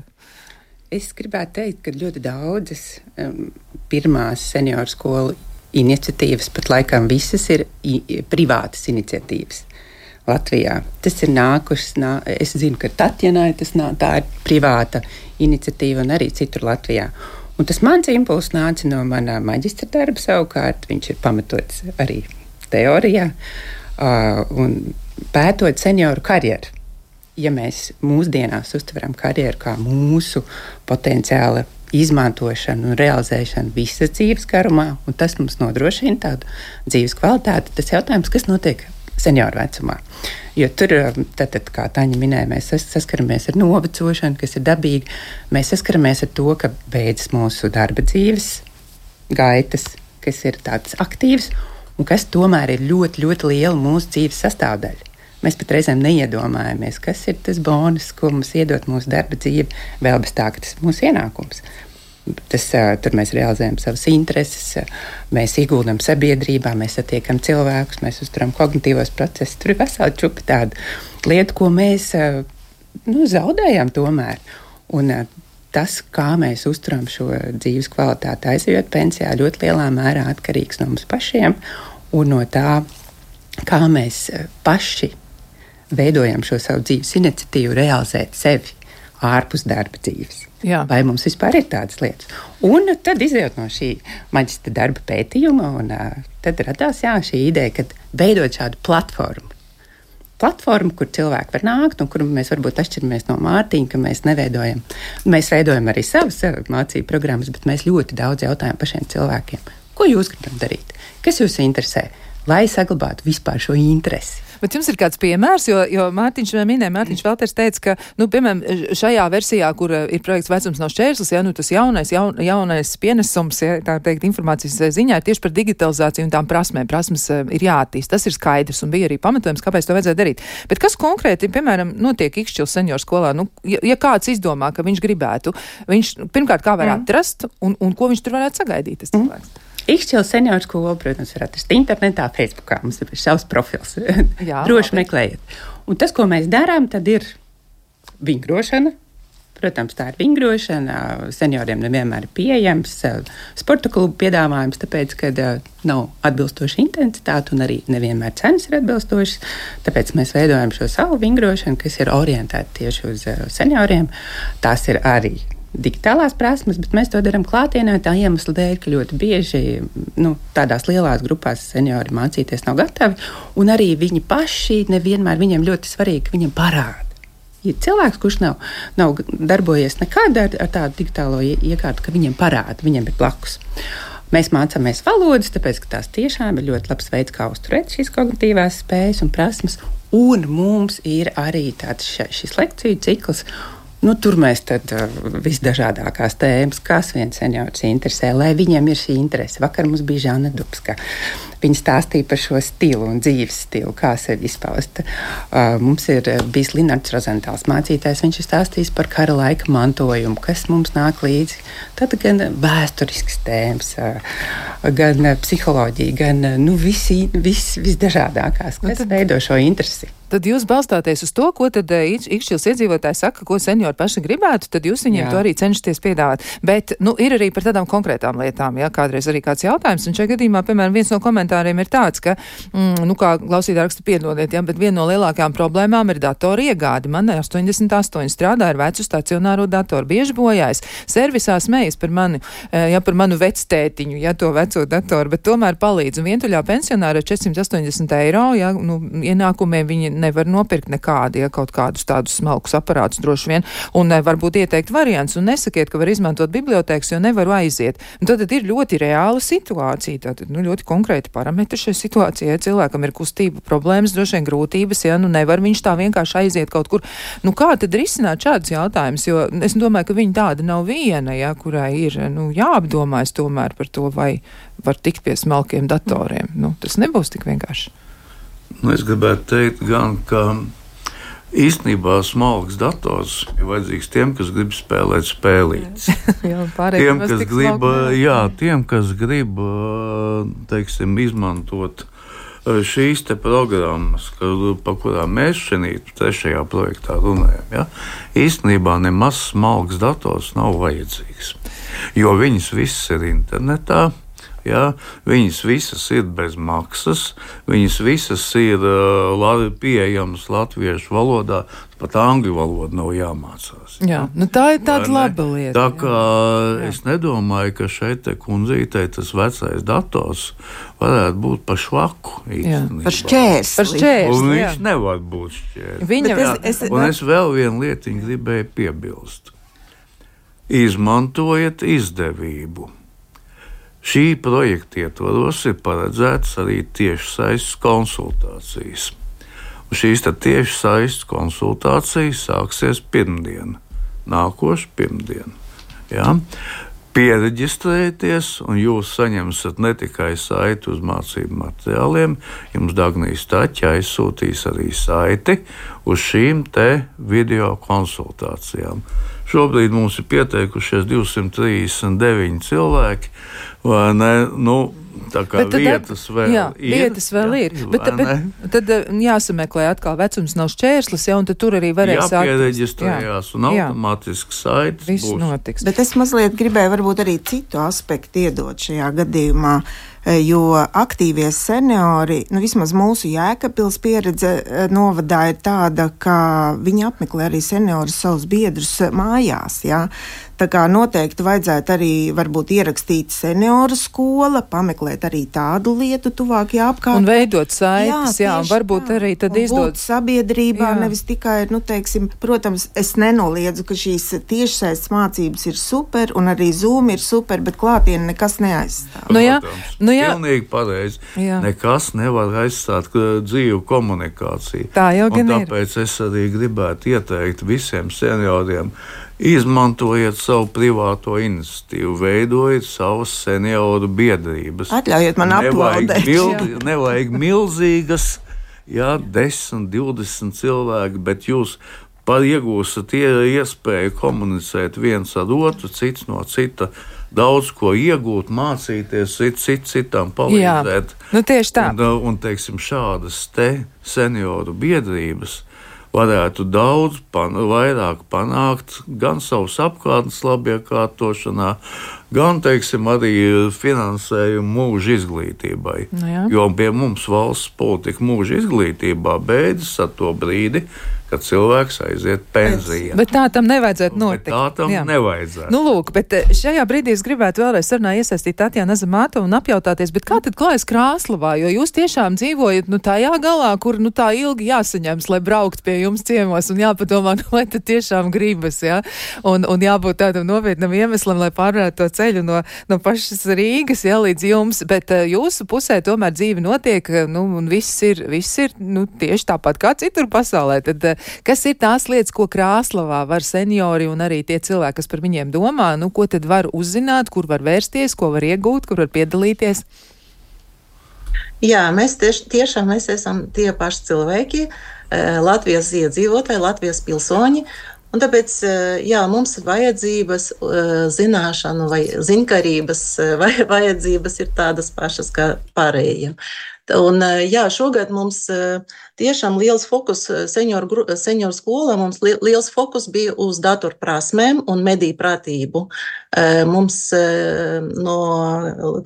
Speaker 4: Es gribētu teikt, ka ļoti daudzas um, pirmās senioru skolu iniciatīvas, pat laikam visas ir i, privātas iniciatīvas Latvijā. Tas ir nākušas, nā, es zinu, ka Tatjanai tas nā, tā ir privāta iniciatīva un arī citur Latvijā. Un tas mans impulss nāca no manā maģistra darba savukārt, viņš ir pamatots arī teorijā, uh, un pētot senioru karjeru. Ja mēs mūsdienās uztveram karjeru kā mūsu potenciāla izmantošanu un realizēšanu visas dzīves garumā, un tas mums nodrošina tādu dzīves kvalitāti, tas jautājums, kas notiek senioru vecumā. Jo tur, tātad, kā Taņa minēja, mēs saskaramies ar novecošanu, kas ir dabīgi. Mēs saskaramies ar to, ka beidzas mūsu darba dzīves gaitas, kas ir tādas aktīvas, un kas tomēr ir ļoti, ļoti liela mūsu dzīves sastāvdaļa. Mēs pat reizēm neiedomājamies, kas ir tas bonus, ko mums iedot mūsu darba dzīve, vēl bez tā, ka tas ir mūsu ienākums. Tas, tur mēs realizējam savas intereses, mēs ieguldam sabiedrībā, mēs satiekam cilvēkus, mēs uzturam kognitīvos procesus. Tur ir vesela čupa tāda lieta, ko mēs nu, zaudējam tomēr. Un tas, kā mēs uzturam šo dzīves kvalitāti aizejot pensijā, ļoti lielā mērā atkarīgs no mums pašiem un no tā, kā mēs paši veidojam šo savu dzīves iniciatīvu, realizēt sevi ārpus darba dzīves.
Speaker 2: Jā.
Speaker 4: Vai mums vispār ir tādas lietas? Un tad izējot no šī maģistra darba pētījuma, un uh, tad radās jā, šī ideja, ka veidot šādu platformu. Platformu, kur cilvēki var nākt, un kur mēs varbūt atšķiramies no Mārtiņa, ka mēs neveidojam. Mēs veidojam arī savas mācību programmas, bet mēs ļoti daudz jautājam pašiem cilvēkiem. Ko jūs gribat darīt? Kas jūs interesē? Lai saglabātu vispār šo interesi.
Speaker 2: Bet jums ir kāds piemērs, jo, jo Mārtiņš minēja, Mārtiņš Valters teica, ka, nu, piemēram, šajā versijā, kur ir projekts Vecums nav šķērslis, ja, nu, tas jaunais, jaun, jaunais pienesums, ja, tā teikt, informācijas ziņā ir tieši par digitalizāciju un tām prasmēm. Prasmes ir jāattīst, tas ir skaidrs un bija arī pamatojums, kāpēc to vajadzēja darīt. Bet kas konkrēti, piemēram, notiek Ikšķils senioru skolā? Nu, ja, ja kāds izdomā, ka viņš gribētu, viņš, pirmkārt, kā var mm. atrast un, un ko viņš tur varētu sagaidīt, tas cilvēks? Mm.
Speaker 4: Ikšķils senioru skolu, protams, var atrast internetā, Facebookā. Mums ir savs profils. Jā, droši meklējiet. Un tas, ko mēs darām, tad ir vingrošana. Protams, tā ir vingrošana. Senioriem nevienmēr ir pieejams sporta klubu piedāvājums, tāpēc, ka nav atbilstoša intensitāte un arī nevienmēr cenas ir atbilstošas. Tāpēc mēs veidojam šo savu vingrošanu, kas ir orientēta tieši uz senioriem. Tās ir arī digitālās prasmes, bet mēs to darām klātienē tā iemesla dēļ, ka ļoti bieži nu, tādās lielās grupās seniori mācīties nav gatavi, un arī viņi paši nevienmēr viņiem ļoti svarīgi, ka viņiem parāda. Ja cilvēks, kurš nav, nav darbojies nekad ar, ar tādu digitālo iekārtu, ka viņiem parāda, viņiem ir blakus. Mēs mācāmies valodas, tāpēc, ka tās tiešām ir ļoti labs veids, kā uzturēt šīs kognitīvās spējas un prasmes, un mums ir arī tāds šis lekciju cikls. Nu, tur mēs tad uh, visdažādākās tēmas, kas viens seniors interesē, lai viņiem ir šī interese. Vakar mums bija Žana Dubska. Viņa stāstīja par šo stilu un dzīves stilu, kā sevi izpaust. Uh, mums ir bijis Linards Rozentāls mācītājs, viņš ir stāstījis par kara laika mantojumu, kas mums nāk līdzi. Tad gan vēsturisks tēmas, uh, gan uh, psiholoģija, gan uh, nu, visi, vis, visdažādākās, kas nu, veido šo interesi.
Speaker 2: Tad jūs balstāties uz to, ko tad Ikšķils iedzīvotāji saka, ko seniori paši gribētu, tad jūs viņiem jā. To arī cenšaties piedāvāt. Bet, nu, ir arī par tādām konkrētām lietām, jā, kādreiz arī kāds jautājums, un šajā gadījumā, piemēram, viens no komentāriem ir tāds, ka, mm, nu, kā klausītāji raksta piedodiet, jā, bet viena no lielākajām problēmām ir datoru iegādi. Man astoņdesmit astoņi strādā ar vecu stacionāro datoru, bieži bojājas. Servisā smējas par mani, jā, par manu vectētiņu, jā, to veco datoru, bet tomēr palīdz. Un vientuļā pensionāra ar četrsimt astoņdesmit eiro, jā, nu, ienākumiem viņi nevar nopirkt nekādi, ja kaut kādus tādus smalkus aparātus droši vien, un varbūt ieteikt variants, un nesakiet, ka var izmantot bibliotēkas, jo nevaru aiziet. Un tad ir ļoti reāla situācija, tātad, nu, ļoti konkrēti parametri šai situācijai. Ja cilvēkam ir kustība problēmas, droši vien grūtības, ja, nu, nevar viņš tā vienkārši aiziet kaut kur. Nu, kā tad risināt šādus jautājumus, jo es domāju, ka viņa tāda nav viena, ja, kurai ir, nu, jāapdomājas tomēr par to, vai var tikt pie smalkiem datoriem. Nu, tas nebūs tik vienkārši.
Speaker 1: Nu, es gribētu teikt, gan, ka īstenībā smalks dators ir vajadzīgs tiem, kas grib spēlēt spēlītes.
Speaker 2: jā, pārējiem,
Speaker 1: tiem, kas grib, jā, tiem, kas grib, teiksim, izmantot šīs te programmas, par kurām mēs šeit trešajā projektā runājam. Ja? Īstenībā nemaz smalks dators nav vajadzīgs, jo viņas viss ir internetā. Ja, viņas visas ir bez maksas, viņas visas ir uh, pieejamas latviešu valodā, pat angļu valoda nav jāmācās.
Speaker 2: Jā, ja? Nu tā ir tāda laba lieta.
Speaker 1: Tā kā jā. Es nedomāju, ka šeit te kundzītei tas vecais dators varētu būt pa švaku.
Speaker 3: Par šķērsli.
Speaker 2: Par šķērsli,
Speaker 1: un
Speaker 2: jā.
Speaker 1: viņš nevar būt šķērsli.
Speaker 2: Viņa,
Speaker 1: jā, es, es, un es vēl vienu lietiņu gribēju piebilst. Izmantojiet izdevību. Šī projekta ietvaros ir paredzētas arī tiešsaistes konsultācijas. Un šīs tiešsaistes konsultācijas sāksies pirmdien, nākošu pirmdienu. Ja? Piereģistrējieties, un jūs saņemsiet ne tikai saiti uz mācību materiāliem, jums Dagnijas Taķa aizsūtīs arī saiti uz šīm te video konsultācijām. Šobrīd mums ir pieteikušies divsimt trīsdesmit deviņi cilvēki, vai ne? Nu, tā kā bet vietas tad, vēl
Speaker 2: jā,
Speaker 1: ir.
Speaker 2: Vietas vēl jā, ir. Bet, bet tad jāsameklē atkal vecums nav šķērslis, ja, un tad tur arī varēs sākt.
Speaker 1: Jāpiereģistrējās un automātiski saites
Speaker 2: viss
Speaker 1: būs.
Speaker 2: Notiks.
Speaker 3: Bet es mazliet gribēju varbūt arī citu aspektu iedot šajā gadījumā, jo aktīvie seniori, nu vismaz mūsu Jēkabpils pieredze novadā ir tāda, ka viņi apmeklē arī seniorus savus biedrus mājās, jā. Tā kā noteikti vajadzētu arī varbūt ierakstīt senioru skola, pameklēt arī tādu lietu tuvākajā apkārtnē.
Speaker 2: Un veidot saites, jā, jā, un varbūt tā. Arī tad izdod
Speaker 3: sabiedrībā, jā. Nevis tikai, nu teiksim, protams, es nenoliedzu, ka šīs tiešsaistes mācības ir super, un arī Zoom ir super, bet klātienē nekas neaizstāv.
Speaker 2: Nu jā, nu jā.
Speaker 1: Pilnīgi pareizi. Jā. Nekas nevar aizstāt dzīvu komunikāciju.
Speaker 2: Tā jau gan ir.
Speaker 1: Un tāpēc es arī gribētu ieteikt visiem senioriem, izmantojiet savu privāto iniciatīvu, veidojiet savas senioru biedrības.
Speaker 3: Atļaujiet man aplaudēt.
Speaker 1: Nevajag, nevajag milzīgas, jā, desmit, divdesmit cilvēki, bet jūs par iegūstat iespēju komunicēt viens ar otru, cits no cita, daudz ko iegūt, mācīties, cits cit, citam palīdzēt.
Speaker 2: Jā, nu tieši tā.
Speaker 1: Un, un teiksim, šādas te senioru biedrības varētu daudz pan, vairāk panākt gan savas apkārtnes labiekārtošanā, gan, teiksim, arī finansējumu mūža izglītībai.
Speaker 2: Nu, jā.
Speaker 1: Jo pie mums valsts politika mūža izglītībā beidzas ar to brīdi, kad cilvēks aiziet pensijā.
Speaker 2: Bet tā tam nevajadzētu notikt.
Speaker 1: Bet tā tam Jā. nevajadzētu.
Speaker 2: Nu, lūk, bet šajā brīdī es gribētu vēlreiz sarunā iesaistīt Tatjānu Azamātovu un apjautāties, bet kā tad klājas Krāslavā, jo jūs tiešām dzīvojat, nu, tajā galā, kur, nu, tā ilgi jāsaņems, lai braukt pie jums ciemos un jāpadomā, nu, lai tad tiešām gribas, jā, un, un jābūt tādam nopietnam iemeslam, lai pārvarētu to ceļu no, no pašas Rīgas, jā, līdz jums, bet uh, jūsu pusē tomēr dzīve notiek, nu, un viss ir, viss ir, nu, tieši tāpat kā citur pasaulē, tad uh, kas ir tās lietas, ko Krāslavā var seniori un arī tie cilvēki, kas par viņiem domā, nu, ko tad var uzzināt, kur var vērsties, ko var iegūt, kur var piedalīties?
Speaker 8: Jā, mēs tieši, tiešām mēs esam tie paši cilvēki, Latvijas iedzīvotāji, Latvijas pilsoņi, un tāpēc, jā, mums vajadzības, zināšanu vai ziņkarības vai vajadzības ir tādas pašas kā pārējiem. Un, jā, šogad mums tiešām liels fokus senioru, senioru skolā, mums liels fokus bija uz datorprasmēm un mediju pratību. Mums no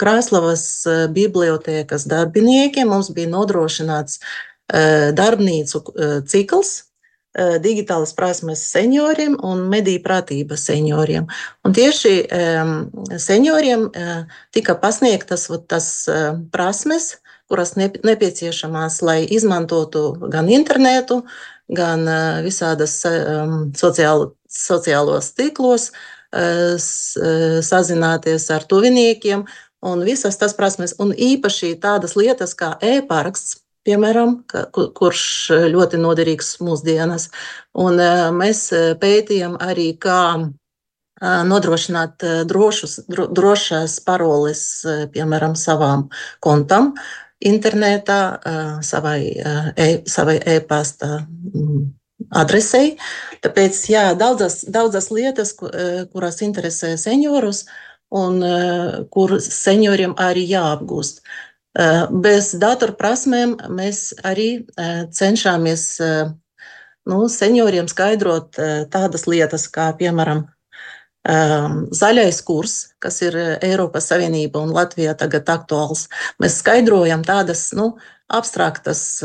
Speaker 8: Krāslavas bibliotēkas darbiniekiem mums bija nodrošināts darbnīcu cikls, digitālas prasmes senioriem un mediju pratība senioriem. Un tieši senioriem tika pasniegtas tas prasmes, kuras nepieciešamās, lai izmantotu gan internetu, gan visādas sociālo, sociālos tīklos, sazināties ar tuviniekiem un visas tas prasmes. Un īpaši tādas lietas kā e-paraksts, piemēram, kurš ļoti noderīgs mūsdienas. Un mēs pētījām arī, kā nodrošināt drošus, dro, drošas paroles, piemēram, savām kontam internetā, savai, e, savai e-pasta adresei. Tāpēc, jā, daudzas, daudzas lietas, kuras interesē seniorus un kur senioriem arī jāapgūst. Bez datorprasmēm mēs arī cenšamies, nu, senioriem skaidrot tādas lietas, kā, piemēram, zaļais kurs, kas ir Eiropas Savienība un Latvijā tagad aktuāls. Mēs skaidrojam tādas, nu, abstraktas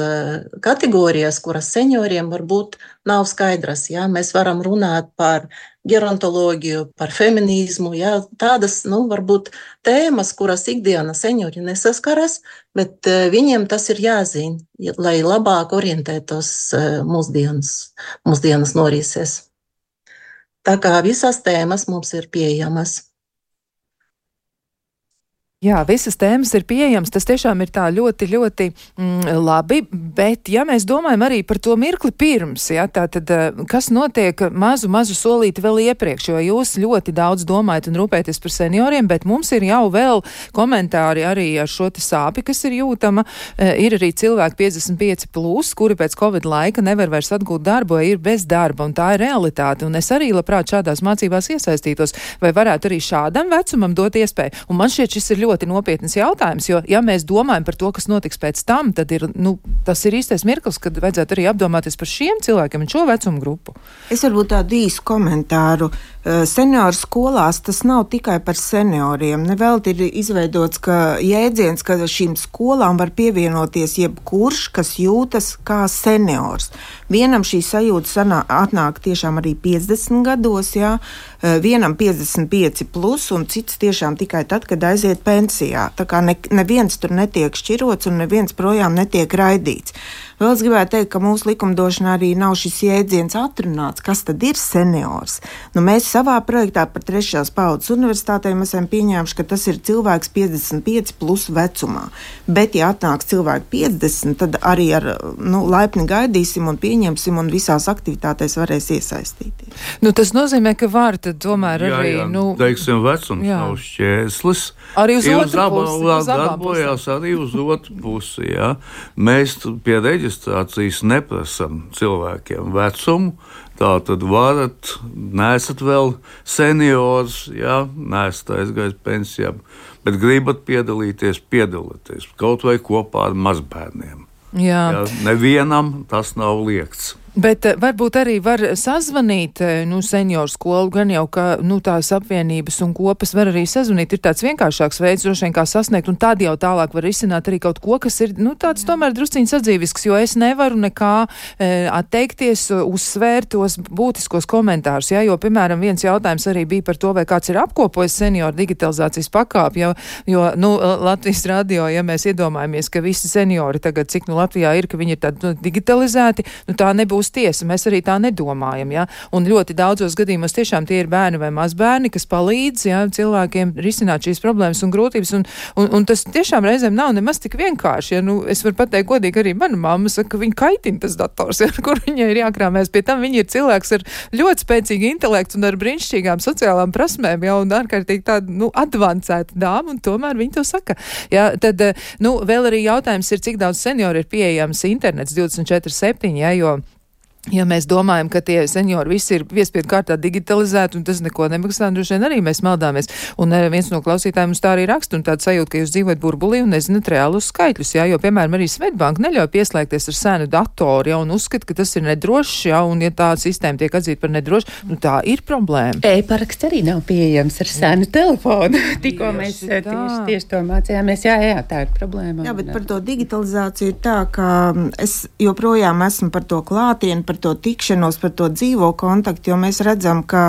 Speaker 8: kategorijas, kuras senioriem varbūt nav skaidras. Jā. Mēs varam runāt par gerontoloģiju, par feminismu, jā. Tādas, nu, varbūt tēmas, kuras ikdiena seniori nesaskaras, bet viņiem tas ir jāzina, lai labāk orientētos mūsdienas, mūsdienas norises. Tā kā visas tēmas mums ir pieejamas.
Speaker 2: Jā, visas tēmas ir pieejamas, tas tiešām ir tā ļoti, ļoti mm, labi, bet ja mēs domājam arī par to mirkli pirms, ja, tā tad, kas notiek mazu, mazu solīti vēl iepriekš, jo jūs ļoti daudz domājat un rūpēties par senioriem, bet mums ir jau vēl komentāri arī ar šo te sāpi, kas ir jūtama, ir arī cilvēki piecdesmit pieci plus, kuri pēc Covid laika nevar vairs atgūt darbu, ir bez darba, un tā ir realitāte, un es arī labprāt šādās mācībās iesaistītos, vai varētu arī šādam vecumam dot iespēju, un man šķiet, šis ir ļoti ļoti nopietnas jautājums, jo, ja mēs domājam par to, kas notiks pēc tam, tad ir, nu, tas ir īstais mirklis, kad vajadzētu arī apdomāties par šiem cilvēkiem un šo vecumu grupu.
Speaker 3: Es varbūt tādu īsu komentāru. Senioru skolās tas nav tikai par senioriem. Nevelti ir izveidots, ka jēdziens, ka šīm skolām var pievienoties jebkurš, kas jūtas kā seniors. Vienam šī sajūta sanā, atnāk tiešām arī piecdesmit gados, jā, vienam piecdesmit pieci plus un cits tiešām tikai tad, kad aiziet pensijā. Tā kā ne, neviens tur netiek šķirots un neviens projām netiek raidīts. Vēl es gribētu teikt, ka mūsu likumdošanā arī nav šis jēdziens atrunāts, kas tad ir seniors. Nu, mēs savā projektā par trešās paudzes universitātēm esam pieņēmuši, ka tas ir cilvēks piecdesmit pieci plus vecumā. Bet, ja atnāks cilvēki piecdesmit, tad arī ar, nu, laipni gaidīsim un pieņemsim un visās aktivitātēs varēs iesaistīties.
Speaker 2: Nu, tas nozīmē, ka var tad tomēr
Speaker 1: jā,
Speaker 2: arī,
Speaker 1: jā,
Speaker 2: nu...
Speaker 1: teiksim, vecums jā. Nav šķēslis.
Speaker 2: Arī uz otru
Speaker 1: pusi. Uz darbojās arī uz otru pusi, jā. Mēs pie reģistrācijas neprasam cilvēkiem vecumu, tā tad varat, neesat vēl seniors, jā, neesat aizgājis pensijām, bet gribat piedalīties, piedalīties, kaut vai kopā ar mazbērniem.
Speaker 2: Jā.
Speaker 1: Jā, nevienam tas nav liegts.
Speaker 2: Bet varbūt arī var sazvanīt, nu, senioru skolu, gan jau, ka, nu, tās apvienības un kopas var arī sazvanīt. Ir tāds vienkāršāks veids, droši vien, kā sasniegt, un tad jau tālāk var izsināt arī kaut ko, kas ir, nu, tāds tomēr drusciņš sadzīvisks, jo es nevaru nekā e, atteikties, uzsvērt tos būtiskos komentārus, ja, jo, piemēram, viens jautājums arī bija par to, vai kāds ir apkopojis senioru digitalizācijas pakāpi, jo, jo, nu, Latvijas radio, ja mēs iedomājamies, ka visi seniori tagad, cik, nu, Latvijā ir, ka viņi ir tādi, nu, digitalizēti, nu, tā nebūs tiesa, mēs arī tā nedomājam, ja, un ļoti daudzos gadījumos tiešām tie ir bērni vai mazbērni, kas palīdz, ja, cilvēkiem risināt šīs problēmas un grūtības, un, un, un tas tiešām reizēm nav nemaz tik vienkārši, ja, nu, es varu pateikt godīgi, arī mana mamma saka, ka viņa kaitina tas dators, ja, kur viņai ir jākrāmēs, pie tam viņa ir cilvēks ar ļoti spēcīgu intelektu un ar brīnišķīgām sociālām prasmēm, ja, un ārkārtīgi tāda, nu, advancēta dāma, un tomēr viņa to saka, ja, tad, nu, vēl arī jautājums ir, cik daudz seniori ir pieejams internets divdesmit četri septiņi, ja, jo ja mēs domājam, ka tie seniori visi ir piespiedu kārtā digitalizēti un tas neko nemaksā, droši vien arī mēs maldāmies. Un viens no klausītājiem mums tā arī raksta un tāda sajūta, ka jūs dzīvojat burbulī un nezināt reālus skaitļus, jā, jo, piemēram, arī Svetbanka neļauj pieslēgties ar senu datoru, jā, un uzskata, ka tas ir nedrošs, jā, un ja tā sistēma tiek atzīta par nedrošu, nu tā ir problēma.
Speaker 4: E-paraksts arī nav pieejams ar senu telefonu. Tikko mēs tieši, tieši to mācījāmies, jā, jā, tā ir problēma.
Speaker 3: Jā, bet par to digitalizāciju ir tā, ka es joprojām esmu par to klātienu, par to tikšanos, par to dzīvo kontaktu, jo mēs redzam, ka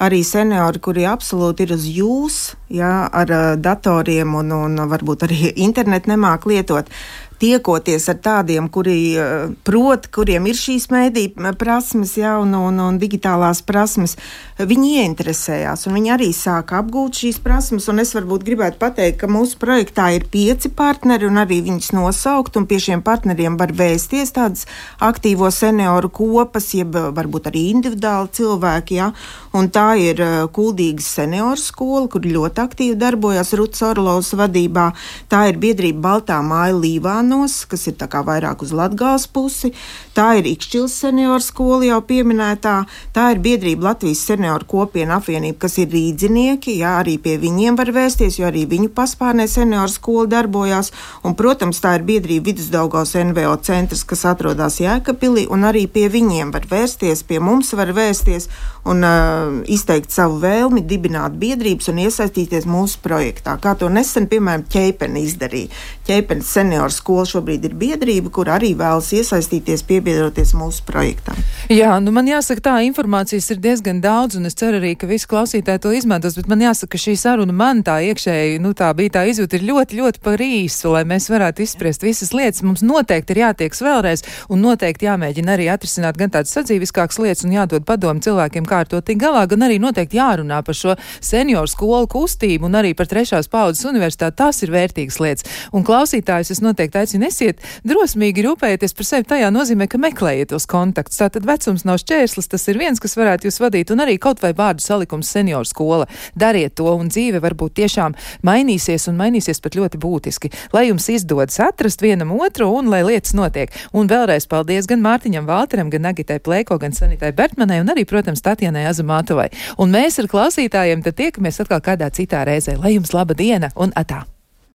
Speaker 3: arī seniori, kuri absolūti ir uz jūs, jā, ar datoriem un, un varbūt arī internetu nemāk lietot, tiekoties ar tādiem, kuri prot, kuriem ir šīs mēdī prasmes, jā, un, un, un digitālās prasmes, viņi ieinteresējās, un viņi arī sāka apgūt šīs prasmes, un es varbūt gribētu pateikt, ka mūsu projektā ir pieci partneri, un arī viņus nosaukt, un pie šiem partneriem var vēsties tādas aktīvo senioru kopas, jeb varbūt arī individuāli cilvēki, jā, un tā ir Kuldīgas senioru skola, kur ļoti aktīvi darbojas Rutas Orlovas vadībā, tā ir biedrība Baltā māja Līvāna, kas ir tā kā vairāk uz Latgales pusi, tā ir Ikšķils senioru skola jau pieminētā, tā ir biedrība Latvijas senioru kopiena apvienība, kas ir rīdzinieki, jā, arī pie viņiem var vēsties, jo arī viņu paspārnē senioru skola darbojās, un, protams, tā ir biedrība Vidusdaugavas N V O centrs, kas atrodas Jēkabpilī, un arī pie viņiem var vēsties, pie mums var vēsties un uh, izteikt savu vēlmi, dibināt biedrības un iesaistīties mūsu projektā, kā to nesen, piemēram, Ķeipeni izdarīja. Ķeipenes senioru skola šobrīd ir biedrība, kur arī vēlas iesaistīties, piebiedroties mūsu projektam.
Speaker 2: Jā, nu man jāsaka, tā informācijas ir diezgan daudz, un es ceru arī, ka visi klausītāji to izmantos, bet man jāsaka, ka šī saruna man tā iekšēji, nu tā bija tā izjūta, ir ļoti, ļoti par īsu, lai mēs varētu izspriest visas lietas. Mums noteikti ir jātieks vēlreiz, un noteikti jāmēģina arī atrisināt gan tādas sadzīviskākas lietas, un jādod padomu cilvēkiem, kā ar to tik galā, gan arī noteikti jārunā par šo senioru skolu kustību, un arī par trešās paudzes universitāti. Tās ir vērtīgas lietas. Un klausītājus es noteikti aicinu, esiet drosmīgi rūpēties par sevi tajā nozīmē, ka meklējiet tos kontaktus. Tātad vecums nav šķērslis, tas ir viens, kas varētu jūs vadīt, un arī kaut vai vārdu salikums senioru skola. Dariet to, un dzīve varbūt tiešām mainīsies, un mainīsies pat ļoti būtiski. Lai jums izdodas atrast vienam otru, un lai lietas notiek. Un vēlreiz paldies gan Mārtiņam Valteram, gan Agitai Plēko, gan Sanitai Bertmanai, un arī, protams, Tatjanai Azamātovai. Un mēs ar klausītājiem tad tiekamies atkal kādā citā reizē. Lai jums laba diena un atā!